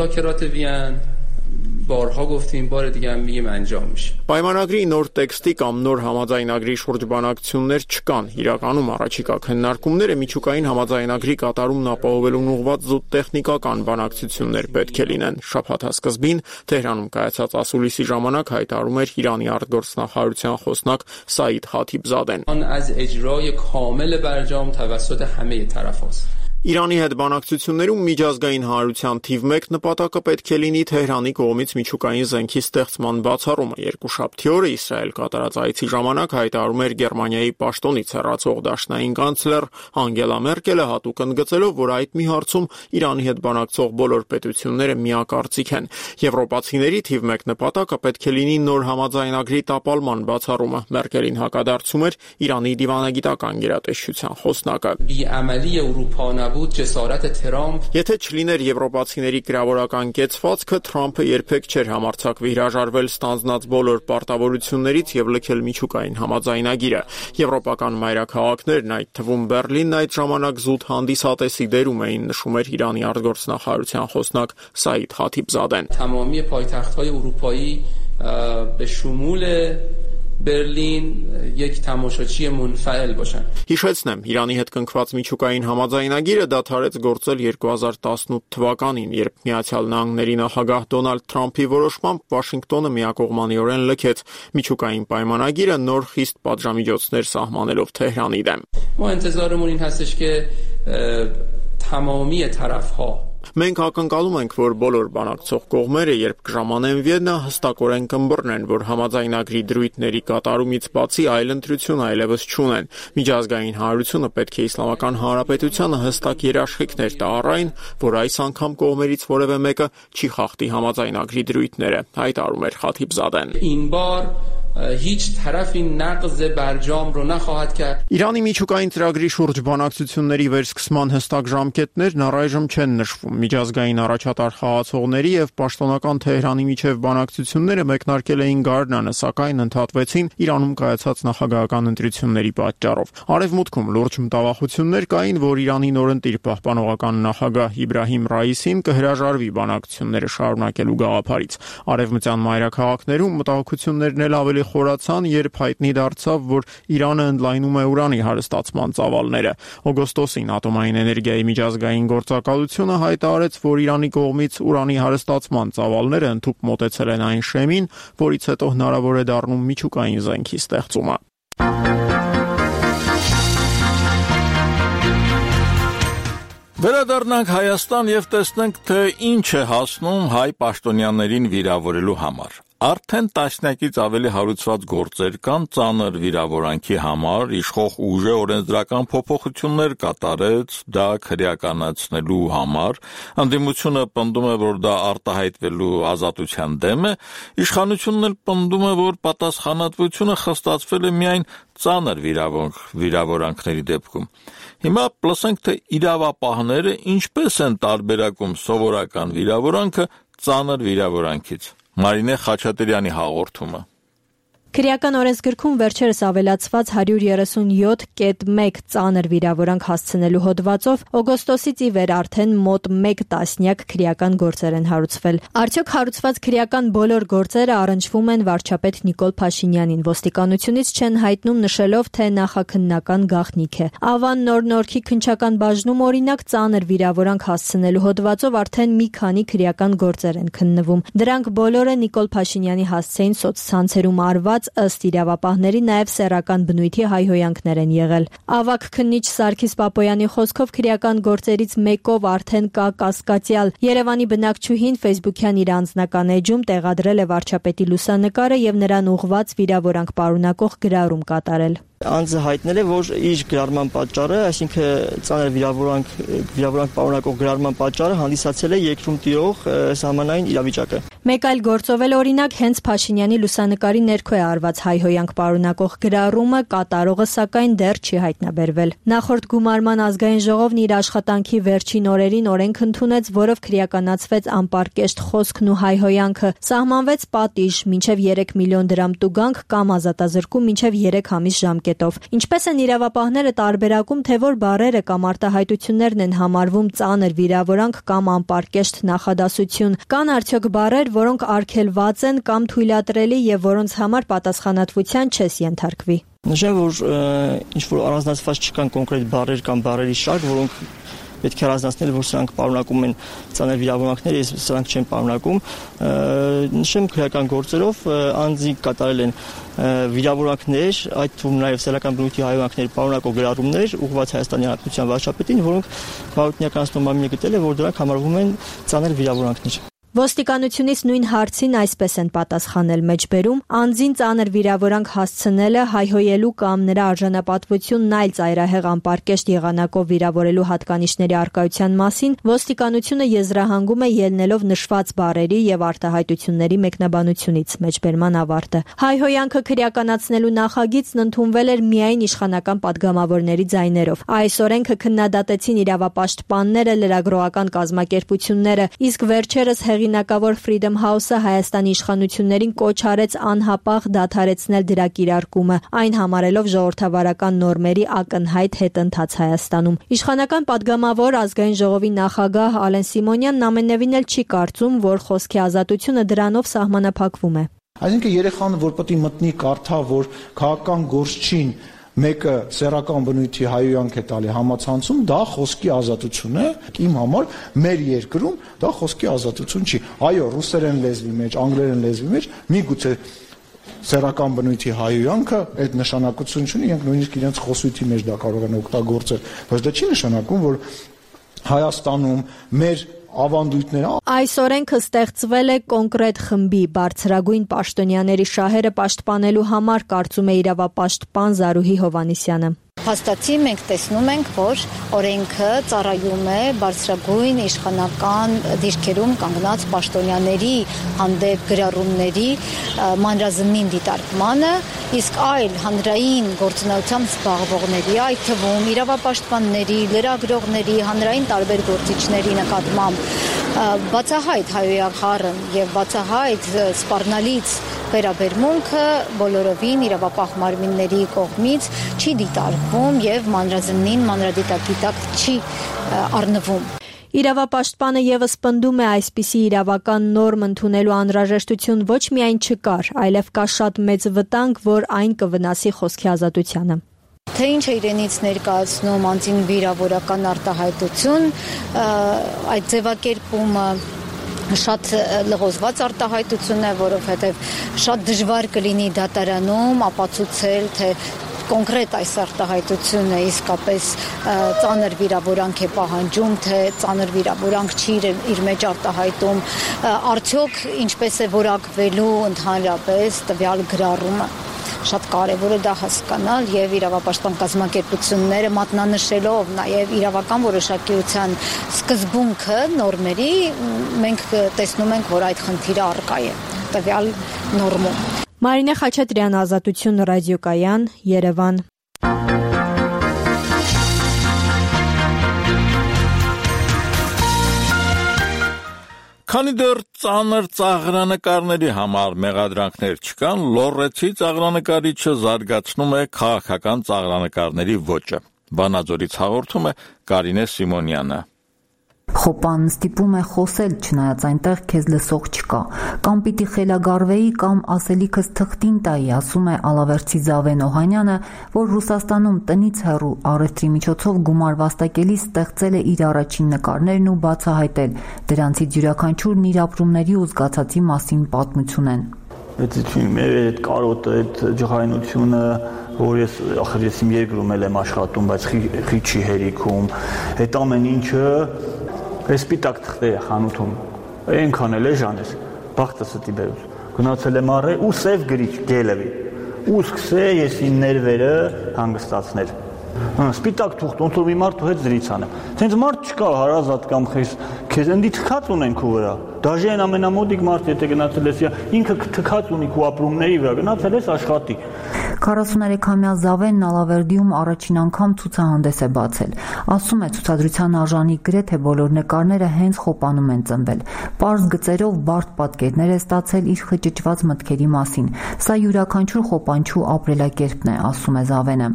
بارها گفتیم بار دیگه هم میگیم انجام میشه. Պայմանագրի նոր տեքստի կամ նոր համաձայնագրի շուրջ բանակցություններ չկան։ Իրականում առաջիկա քննարկումները միջուկային համաձայնագրի կատարումն ապահովելուն ուղղված զուտ տեխնիկական բանակցություններ պետք է լինեն։ Շաբաթասկզբին Թեհրանում կայացած ասուլիսի ժամանակ հայտարարում էր Իրանի արտգործնախարարության խոսնակ Սաիդ Խաթիբզադեն։ آن از اجرای کامل برجام توسط همه طرف‌هاست. Իրանի հետ բանակցություններում միջազգային հանրության թիվ մեկ նպատակը պետք է լինի Թեհրանի կողմից միջուկային զենքի ստեղծման բացառումը։ Երկուշաբթի օրը Իսրայել կատարած այցի ժամանակ հայտարարում էր Գերմանիայի պաշտոնից հեռացող դաշնային կանցլեր Անգելա Մերկելը, հատուկ ընդգծելով, որ այդ մի հարցում Իրանի հետ բանակցող բոլոր պետությունները միակարծիք են։ Եվրոպացիների թիվ մեկ նպատակը պետք է լինի նոր համաձայնագրի տապալման բացառումը։ Մերկելին հակադարձում էր Իրանի դիվանագիտական գերատեսչության խոսնակը։ Եթե չլիներ եվրոպացիների գրավորական կեցվածքը, Թրամփը երբեք չէր համարձակվի հրաժարվել ստանձնած բոլոր պարտավորություններից եւ լքել միջուկային համաձայնագիրը։ Եվրոպական մայրաքաղաքներն, այդ թվում Բերլինն, այդ ժամանակ զուտ հանդիսատեսի դերում էին, նշում էր Իրանի արտգործնախարարության խոսնակ Սաիդ Խաթիբզադեն։ تمامی پایتخت‌های اروپایی به شمول Բերլին یک تماشاچی منفعل باشن. Հիշեցնեմ, Իրանի հետ կնքված միջուկային համաձայնագիրը դադարեց գործել երկու հազար տասնութ թվականին, երբ Միացյալ Նահանգների նախագահ Դոնալդ Թրամփի որոշմամբ Վաշինգտոնը միակողմանիորեն լքեց միջուկային պայմանագիրը, նոր խիստ պատժամիջոցներ սահմանելով Թեհրանի դեմ։ ما انتظارمون این هستش که تمامی طرف‌ها Մենք ակնկալում ենք, որ բոլոր բանակցող կողմերը, երբ կժամանեն Վիեննա, հստակորեն կըմբռնեն, որ համաձայնագրի դրույթների կատարումից բացի այլ ընտրություն այլևս չունեն։ Միջազգային հանրությունը պետք է Իսլամական Հանրապետությանը հստակ երաշխիքներ տա առ այն, որ այս անգամ կողմերից որևէ մեկը չի խախտի համաձայնագրի դրույթները, հայտարարում էր Խաթիբզադեն։ این بار هیچ طرفی نقض برجام رو نخواهد کرد. Իրանի միջուկային ծրագրի շուրջ բանակցությունների վերսկսման հստակ ժամկետներն առայժմ չեն նշվում։ Միջազգային առաջատար խաղացողների եւ պաշտոնական Թեհրանի միջև բանակցությունները մեկնարկել էին գարնանը, սակայն ընդհատվեցին Իրանում կայացած նախագահական ընտրությունների պատճառով։ Արևմուտքում լուրջ մտավախություններ կային, որ Իրանի նորընտիր պահպանողական նախագահ Իբրահիմ Ռայիսին կհրաժարվի բանակցությունները շարունակելու գաղափարից։ Արևմտյան մայրաքաղաքներում մտահոգություններն էլ ավելի խորացան, երբ հայտնի դարձավ, որ Իրանը ընդլայնում է ուրանի հարստացման ծավալները։ Օգոստոսին Ատոմային էներգիայի միջազգային գործակալությունը հայտարարեց, որ Իրանի կողմից ուրանի հարստացման ծավալները ընդհուպ մոտեցել են այն շեմին, որից հետո հնարավոր է դառնում միջուկային զենքի ստեղծումը։ Վերադառնանք Հայաստան եւ տեսնենք, թե ինչ է հասնում հայ պաշտոնյաներին վիրավորելու համար։ Արդեն տասնյակից ավելի հարուցված գործեր կան ծանր վիրավորանքի համար, իշխող ուժը օրենսդրական փոփոխություններ կատարեց դա քրեականացնելու համար, ընդդիմությունը պնդում է, որ դա արտահայտվելու ազատության դեմ է, իշխանությունն էլ պնդում է, որ պատասխանատվությունը խստացվել է միայն ծանր վիրավորանքների դեպքում։ Հիմա լսենք, թե իրավապահները ինչպես են տարբերակում սովորական վիրավորանքը ծանր վիրավորանքից։ Մարինե Խաչատրյանի հաղորդումը։ Քրեական օրենսգրքում վերջերս ավելացված հարյուր երեսունյոթ կետ մեկ ծանր վիրավորանք հասցնելու հոդվածով օգոստոսից ի վեր արդեն մոտ մեկ տասնյակ քրեական գործեր են հարուցվել։ Արդյոք հարուցված քրեական բոլոր գործերը առնչվում են վարչապետ Նիկոլ Փաշինյանին, ոստիկանությունից չեն հայտնում, նշելով, թե նախաքննական գաղտնիք է։ Ավան Նոր Նորքի քննչական բաժնում օրինակ ծանր վիրավորանք հասցնելու հոդվածով արդեն մի քանի քրեական գործեր են քննվում։ Դրանք բոլորը Նիկոլ Փաշինյանի հասցեին սոցցանցերում արված ըստ իրավապահների նաև սեռական բնույթի հայհոյանքներ են եղել։ Ավագ քննիչ Սարգիս Պապոյանի խոսքով քրեական գործերից մեկով արդեն կա կասկածյալ։ Երևանի բնակչուհին Facebook-յան իր անձնական էջում տեղադրել է վարչապետի լուսանկարը եւ նրան ուղղված վիրավորանք պարունակող գրառում կատարել։ Անձը հայտնել է, որ իր գրառման պատճառը, այսինքն ծանր վիրավորանք վիրավորանք պարունակող գրառման պատճառը հանդիսացել է երկրում տիրող սահմանային իրավիճակը։ Մեկ այլ գործով էլ օրինակ հենց Փաշինյանի լուսանկարի ներքո է արված հայհոյանք պարունակող գրառումը, կատարողը սակայն դեռ չի հայտնաբերվել։ Նախորդ գումարման ազգային ժողովն իր աշխատանքի վերջին օրերին օրենք ընդունեց, որով քրեականացվեց անպարկեշտ խոսքն ու հայհոյանքը, սահմանվեց պատիժ մինչև երեք միլիոն դրամ տուգանք կամ ազատազրկում մինչև երեք ամիս ժամկետով։ Ինչպես են իրավապահները տարբերակում, թե որ բառերը կամ արտահայտություններն են համարվում ծանր վիրավորանք կամ անպարկեշտ նախադասություն, կան արդյոք բառեր, որոնք արգելված են կամ թույլատրելի եւ որոնց համար պատասխանատվության չես ենթարկվի։ Նշեմ, որ ինչ որ առանձնացված չկան կոնկրետ բառեր կամ բառերի շարք, որոնք պետք է առանձնացնել, որ սրանք պարունակում են ծանր վիրավորանքներ, իսկ սրանք չեն պարունակում։ Նշեմ, քրեական գործերով անձի կատարել են վիրավորանքներ, այդ թվում նաև սեռական բնույթի հայհոյանքներ պարունակող գրառումներ ուղղված Հայաստանի Հանրապետության վարչապետին, որոնք բարոյական մարմինը գտել է, որ դրանք համարվում են ծանր վիրավորանքներ։ Ոստիկանությունից նույն հարցին այսպես են պատասխանել մեջբերում. անձին ծանր վիրավորանք հասցնելը, հայհոյելու կամ նրա արժանապատվությունն այլ ծայրահեղ անպարկեշտ եղանակով վիրավորելու հատկանիշների առկայության մասին ոստիկանությունը եզրահանգում է ելնելով նշված բառերի եւ արտահայտությունների մեկնաբանությունից մեջբերման ավարտը։ Հայհոյանքը քրեականացնելու նախագիծն ընդունվել էր միայն իշխանական падգամավորների ձայներով։ Այս օրենքը քննադատեցին իրավապաշտպանները, լրագրողական կազմակերպությունները, իսկ վերջերս հեղինակավոր Freedom House-ը Հայաստանի իշխանություններին կոչ արեց անհապաղ դադարեցնել դրա կիրարկումը, այն համարելով ժողովրդավարական նորմերի ակնհայտ հետընթաց Հայաստանում։ Իշխանական падգամավոր ազգային ժողովի նախագահ Ալեն Սիմոնյանն ամենևին էլ չի կարծում, որ խոսքի ազատությունը դրանով սահմանափակվում է։ Այսինքն երեխան, որ պետք է մտնի կարդա, որ քաղաքական գործչին մեկը սեռական բնույթի հայհոյանք է տալի համացանցում, դա խոսքի ազատություն է։ Իմ համար մեր երկրում դա խոսքի ազատություն չի։ Այո, ռուսերեն լեզվի մեջ, անգլերեն լեզվի մեջ միգուցե սեռական բնույթի հայհոյանքը այդ նշանակություն չունի, իրենք նույնիսկ իրենց խոսույթի մեջ դա կարող են օգտագործել, բայց դա չի նշանակում, որ Հայաստանում մեր ավանդույթները։ Այս օրենքը ստեղծվել է կոնկրետ խմբի բարձրագույն պաշտոնյաների շահերը պաշտպանելու համար, կարծում է իրավապաշտպան Զարուհի Հովանիսյանը։ Հաստատի մենք տեսնում ենք, որ օրենքը ծառայում է բարձրագույն իշխանական դիրքերում կանգնած պաշտոնյաների հանդեպ գրառումների մանրազնին դիտարկմանը, իսկ այլ հանրային գործունեությամբ զբաղվողների, այդ թվում իրավապաշտպանների, լրագրողների, հանրային տարբեր գործիչների նկատմամբ բացահայտ հայհոյախառն եւ բացահայտ սպառնալից վերաբերմունքը բոլորովին իրավապահ մարմինների կողմից չի դիտարկվում եւ մանրազնին մանրադիտակի տակ չի առնվում։ Իրավապաշտպանը եւս պնդում է այսպիսի իրավական նորմ ընդունելու անհրաժեշտություն ոչ միայն չկար, այլև կա շատ մեծ վտանգ, որ այն կվնասի խոսքի ազատությանը։ Թե ինչ է իրենից ներկայացնում անձին վիրավորական արտահայտություն, այդ ձևակերպումը շատ լղոզված արտահայտություն է, որովհետև շատ դժվար կլինի դատարանում ապացուցել, թե կոնկրետ այս արտահայտությունը իսկապես ծանր վիրավորանք է պահանջում, թե ծանր վիրավորանք չի իր մեջ արտահայտում, արդյոք ինչպես է որակվելու ընդհանրապես տվյալ գրառումը։ Շատ կարևոր է դա հասկանալ եւ իրավապաշտպան կազմակերպությունները մատնանշելով նաեւ իրավական որոշակիության սկզբունքը նորմերի, մենք տեսնում ենք, որ այդ խնդիրը առկա է տվյալ նորմում։ Մարինե Խաչատրյան, Ազատություն ռադիոկայան, Երևան։ Քանի դեռ ծանր ծաղրանկարների համար մեղադրանքներ չկան, լոռեցի ծաղրանկարիչը զարգացնում է քաղաքական ծաղրանկարների ոճը։ Վանաձորից հաղորդում է Կարինե Սիմոնյանը։ Խոպան ստիպում է խոսել, չնայած այնտեղ քեզ լսող չկա, կամ պիտի խելագարվեի, կամ ասելիքս թղթին տայի, ասում է Ալավերդցի Զավեն Օհանյանը, որ Ռուսաստանում տնից հեռու առևտրի միջոցով գումար վաստակելիս ստեղծել է իր առաջին նկարներն ու բացահայտել, դրանցից յուրաքանչյուրն իր ապրումների ու զգացածի մասին պատմություն են։ Այդ կարոտը, այդ ջղայնությունը, որ ես ախր ես իմ երկրում եմ աշխատում, բայց խի չի հերիքում, այդ ամեն ինչը Այս սպիտակ թղթերը խանութում, այնքան էլ է ժանես, բախտը ստի բերուց, գնացել եմ առե ու սև գրիչ գելևի, ու սկսե ես իմ ներվերը հանգստացնել, սպիտակ թուղթ, ոնց որ մի մարդու հետ զրից անեմ, ցենց մարդ չկա հարազատ կամ քեզ ընդի թքած ունեն քո վրա, դաժե այն ամենամոդիկ մարդ, եթե գնացել ես, ինքը թքած ունի քո ապրումների վրա, գնացել ես աշխատի։ քառասուներեքամյա Զավենն Ալավերդիում առաջին անգամ ցուցահանդես է բացել։ Ասում է, ցուցադրության արժանի գրեթե բոլոր նկարները հենց Խոպանում են ծնվել։ Պարզ գծերով բարդ պատկերներ է ստացել իր խճճված մտքերի մասին։ Սա յուրաքանչյուր խոպանչու ապրելակերպն է, ասում է Զավենը։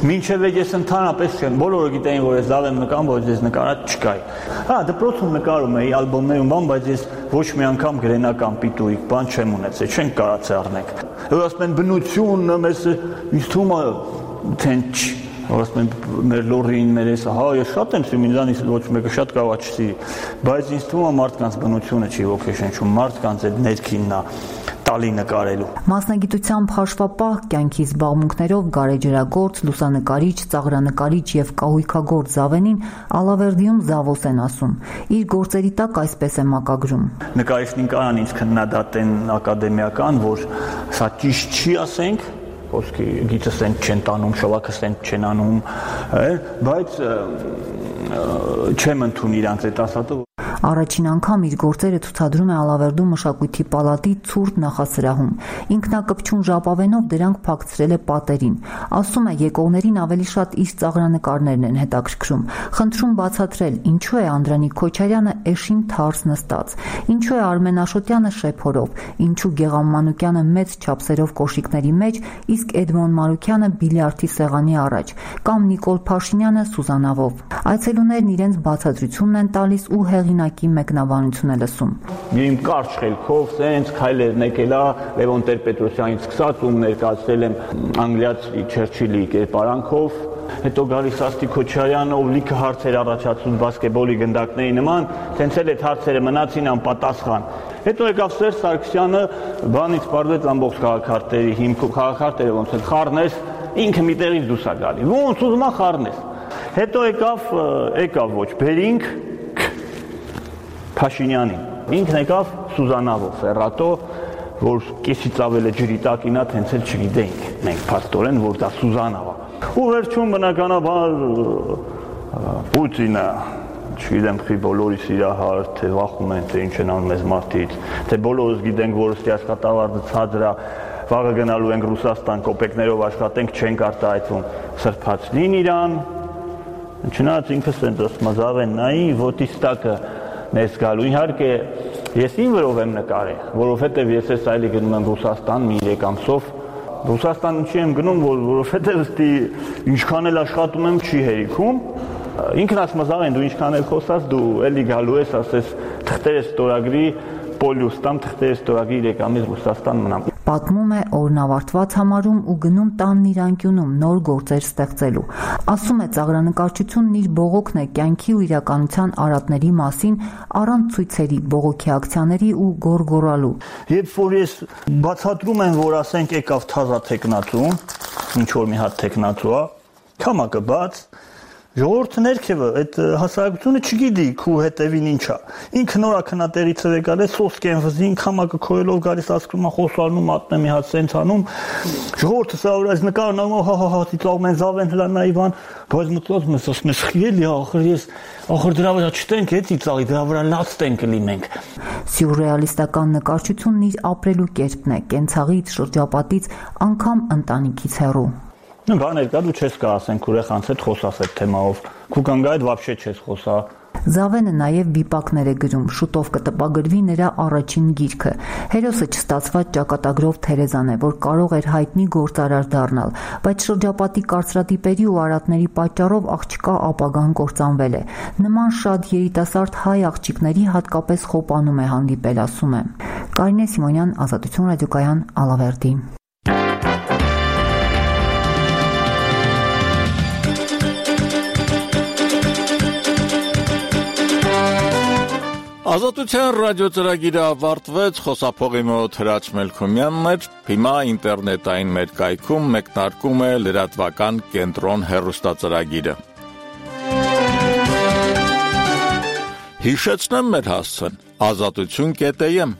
Մինչև ես ընդհանրապես չեմ, բոլորը գիտեին, որ ես Զավեն նկարում, որ ես նկարած չկայի։ Հա, դպրոցում նկարում էի, ալբոմներում բան, բայց ես ոչ մի անգամ գրենական պիտույիկ բան չեմ ունեցել, չենք կարացել առնենք։ Որ ասում են բնությունը մեզ ինձ թվում է թենց, որ ասում են մեր լորին, մեր էսը, հա, ես շատ եմ սիրում, ինձանից ոչ մեկը շատ կարող է չսիրի, բայց ինձ թվում է մարդկանց բնությունը չի ոգեշնչում, մարդկանց այդ ներքինն է տալի նկարելու։ Մասնագիտությամբ հաշվապահ կյանքի զբաղմունքներով գարեջրագործ, լուսանկարիչ, ծաղրանկարիչ եւ կահույքագործ Զավենին Ալավերդիում Զավոս են ասում։ Իր գործերի տակ այսպես է մակագրում։ Նկարիչին կարան ինձ քննադատեն ակադեմիական, որ սա ճիշտ չի, ասենք, ոսկի գիծս են չեն տանում, շողակս են չեն անում, բայց չեմ ընդունի իրանց այդ ասածը։ Առաջին անգամ իր գործերը ցուցադրում է Ալավերդու մշակույթի պալատի ցուրտ նախասրահում։ Ինքնակպչուն ժապավենով դրանք փակցրել է պատերին։ Ասում է, եկողներին ավելի շատ իր ծաղրանկարներն են հետաքրքրում։ Խնդրում բացատրել, ինչու է Անդրանիկ Քոչարյանը էշին թարս նստած, ինչու է Արմեն Աշոտյանը շեփորով, ինչու Գեգամ Մանուկյանը մեծ չափսերով կոշիկների մեջ, իսկ Էդմոն Մարուկյանը բիլիարդի սեղանի առաջ, կամ Նիկոլ Փաշինյանը Սուզանավով։ Այցելուներն իրենց բացատրությունն են տալիս ու հեղինակ մեկնաբանություն է լսում։ Իմ կարճ խելքով սենց քայլերն եկել է Լևոն Տեր-Պետրոսյանից սկսած ու ներկայացրել եմ անգլիացի Չերչիլի կերպարանքով, հետո գալիս Աստի Քոչարյանը, ով լիքը հարցեր առաջացնում բասկետբոլի գնդակների նման, սենց էլ այդ հարցերը մնացին անպատասխան։ Հետո եկավ Սերժ Սարգսյանը, բանից պարզեց ամբողջ քաղաքարտերի հիմքով, քաղաքարտերը ոնց են խառնես, ինքը մի տեղից դուրս է գալի։ Ոնց ուզում է խառնես։ Հետո եկավ, եկավ ոչ բերինք Փաշինյանին։ Ինքն եկավ Սուզանավով, Ֆերրատո, որ կեսից ավել է ջրի տակին է, հենց էլ չգիտեինք մենք փաստորեն, որ դա Սուզանավ է։ Ու վերջում բնականաբար Պուտինը, չգիտեմ, խի բոլորիս իրահար, թե վախում են, թե ինչ են անում մեզ մարդից, թե բոլորս գիտենք, որ ըստի աշխատավարձը ցածր է, վաղը գնալու ենք Ռուսաստան, կոպեկներով աշխատենք, չենք արտահայտվում, սրբացնին իրան։ Չնայած ինքս են դասում Զավեն նայի, ոտիս տակը ներս գալու։ Իհարկե, ես իմ վրով եմ նկարել, որովհետև ես ես այլի գնում եմ Ռուսաստան մի երեք ամսով։ Ռուսաստան ինչի եմ գնում, որ որովհետև ըստի ինչքան էլ աշխատում եմ չի հերիքում, Ինքնասմազաղ են դու ինչքան էլ խոսած, դու էլի գալու ես, ասես թղթեր ստորագրի Պոլյուս տամ թղթեր ստորագրի երեք ամիս Ռուսաստան մնամ։ Պատմում է օրն ավարտված համարում ու գնում տանն իր անկյունում նոր գործեր ստեղծելու։ Ասում է ծաղրանկարչությունն իր բողոքն է կյանքի ու իրականության արատների մասին առանց ցույցերի, բողոքի ակցիաների ու գորգորալու։ Երբ որ ես բացատրում եմ, որ ասենք եկավ թազա տեխնացու, ինչ որ մի հատ տեխնացու է, քամակը բաց, ժողովուրդը ներքևը այդ հասարակությունը չգիտի քու հետևին ինչա։ Ինքը նորա քնատերից է եկել, սոսկեն վզին, քամակը քոյելով գալիս ասում է խոսալնում մատնեմ մի հատ սենց անում։ Ժողովուրդը սա որ այս նկարն հա հա հա ծիծաղում են զավեն հլանա Իվան, բայց մտածում ես ասում ես խիելի ախր ես ախր դրա վրա չտենք է ծիծաղի, դրա վրա լաց տենք լինենք։ Սյուրռեալիստական նկարչությունն իր ապրելու կերպն է, կենցաղից, շրջապատից, անգամ ընտանիքից հեռու։ Ну, բաներ կա, դու չես կա ասենք ուրեխանց հետ խոսաս այդ թեմայով։ Քու կանգա այդ вообще չես խոսա։ Զավենը նաև վիպակներ է գրում, շուտով կտպագրվի նրա առաջին գիրքը։ Հերոսը չստացված ճակատագրով Թերեզան է, որ կարող էր հայտնի գործարար դառնալ, բայց շրջապատի կարծրատիպերի ու արատների պատճառով աղջկա ապագան կործանվել է։ Նման շատ երիտասարդ հայ աղջիկների հատկապես խոպանում է հանդիպել, ասում է։ Կարինե Սիմոնյան, Ազատություն ռադիոկայան, Ալավերդի։ Ազատության ռադիոծրագիրը ավարտվեց, խոսափողի մոտ Հրաչ Մելքոմյանն էր, հիմա ինտերնետային մեր կայքում մեկնարկում է լրատվական կենտրոն հեռուստածրագիրը։ Հիշեցնեմ մեր հասցեն՝ ազատություն կետ էմ։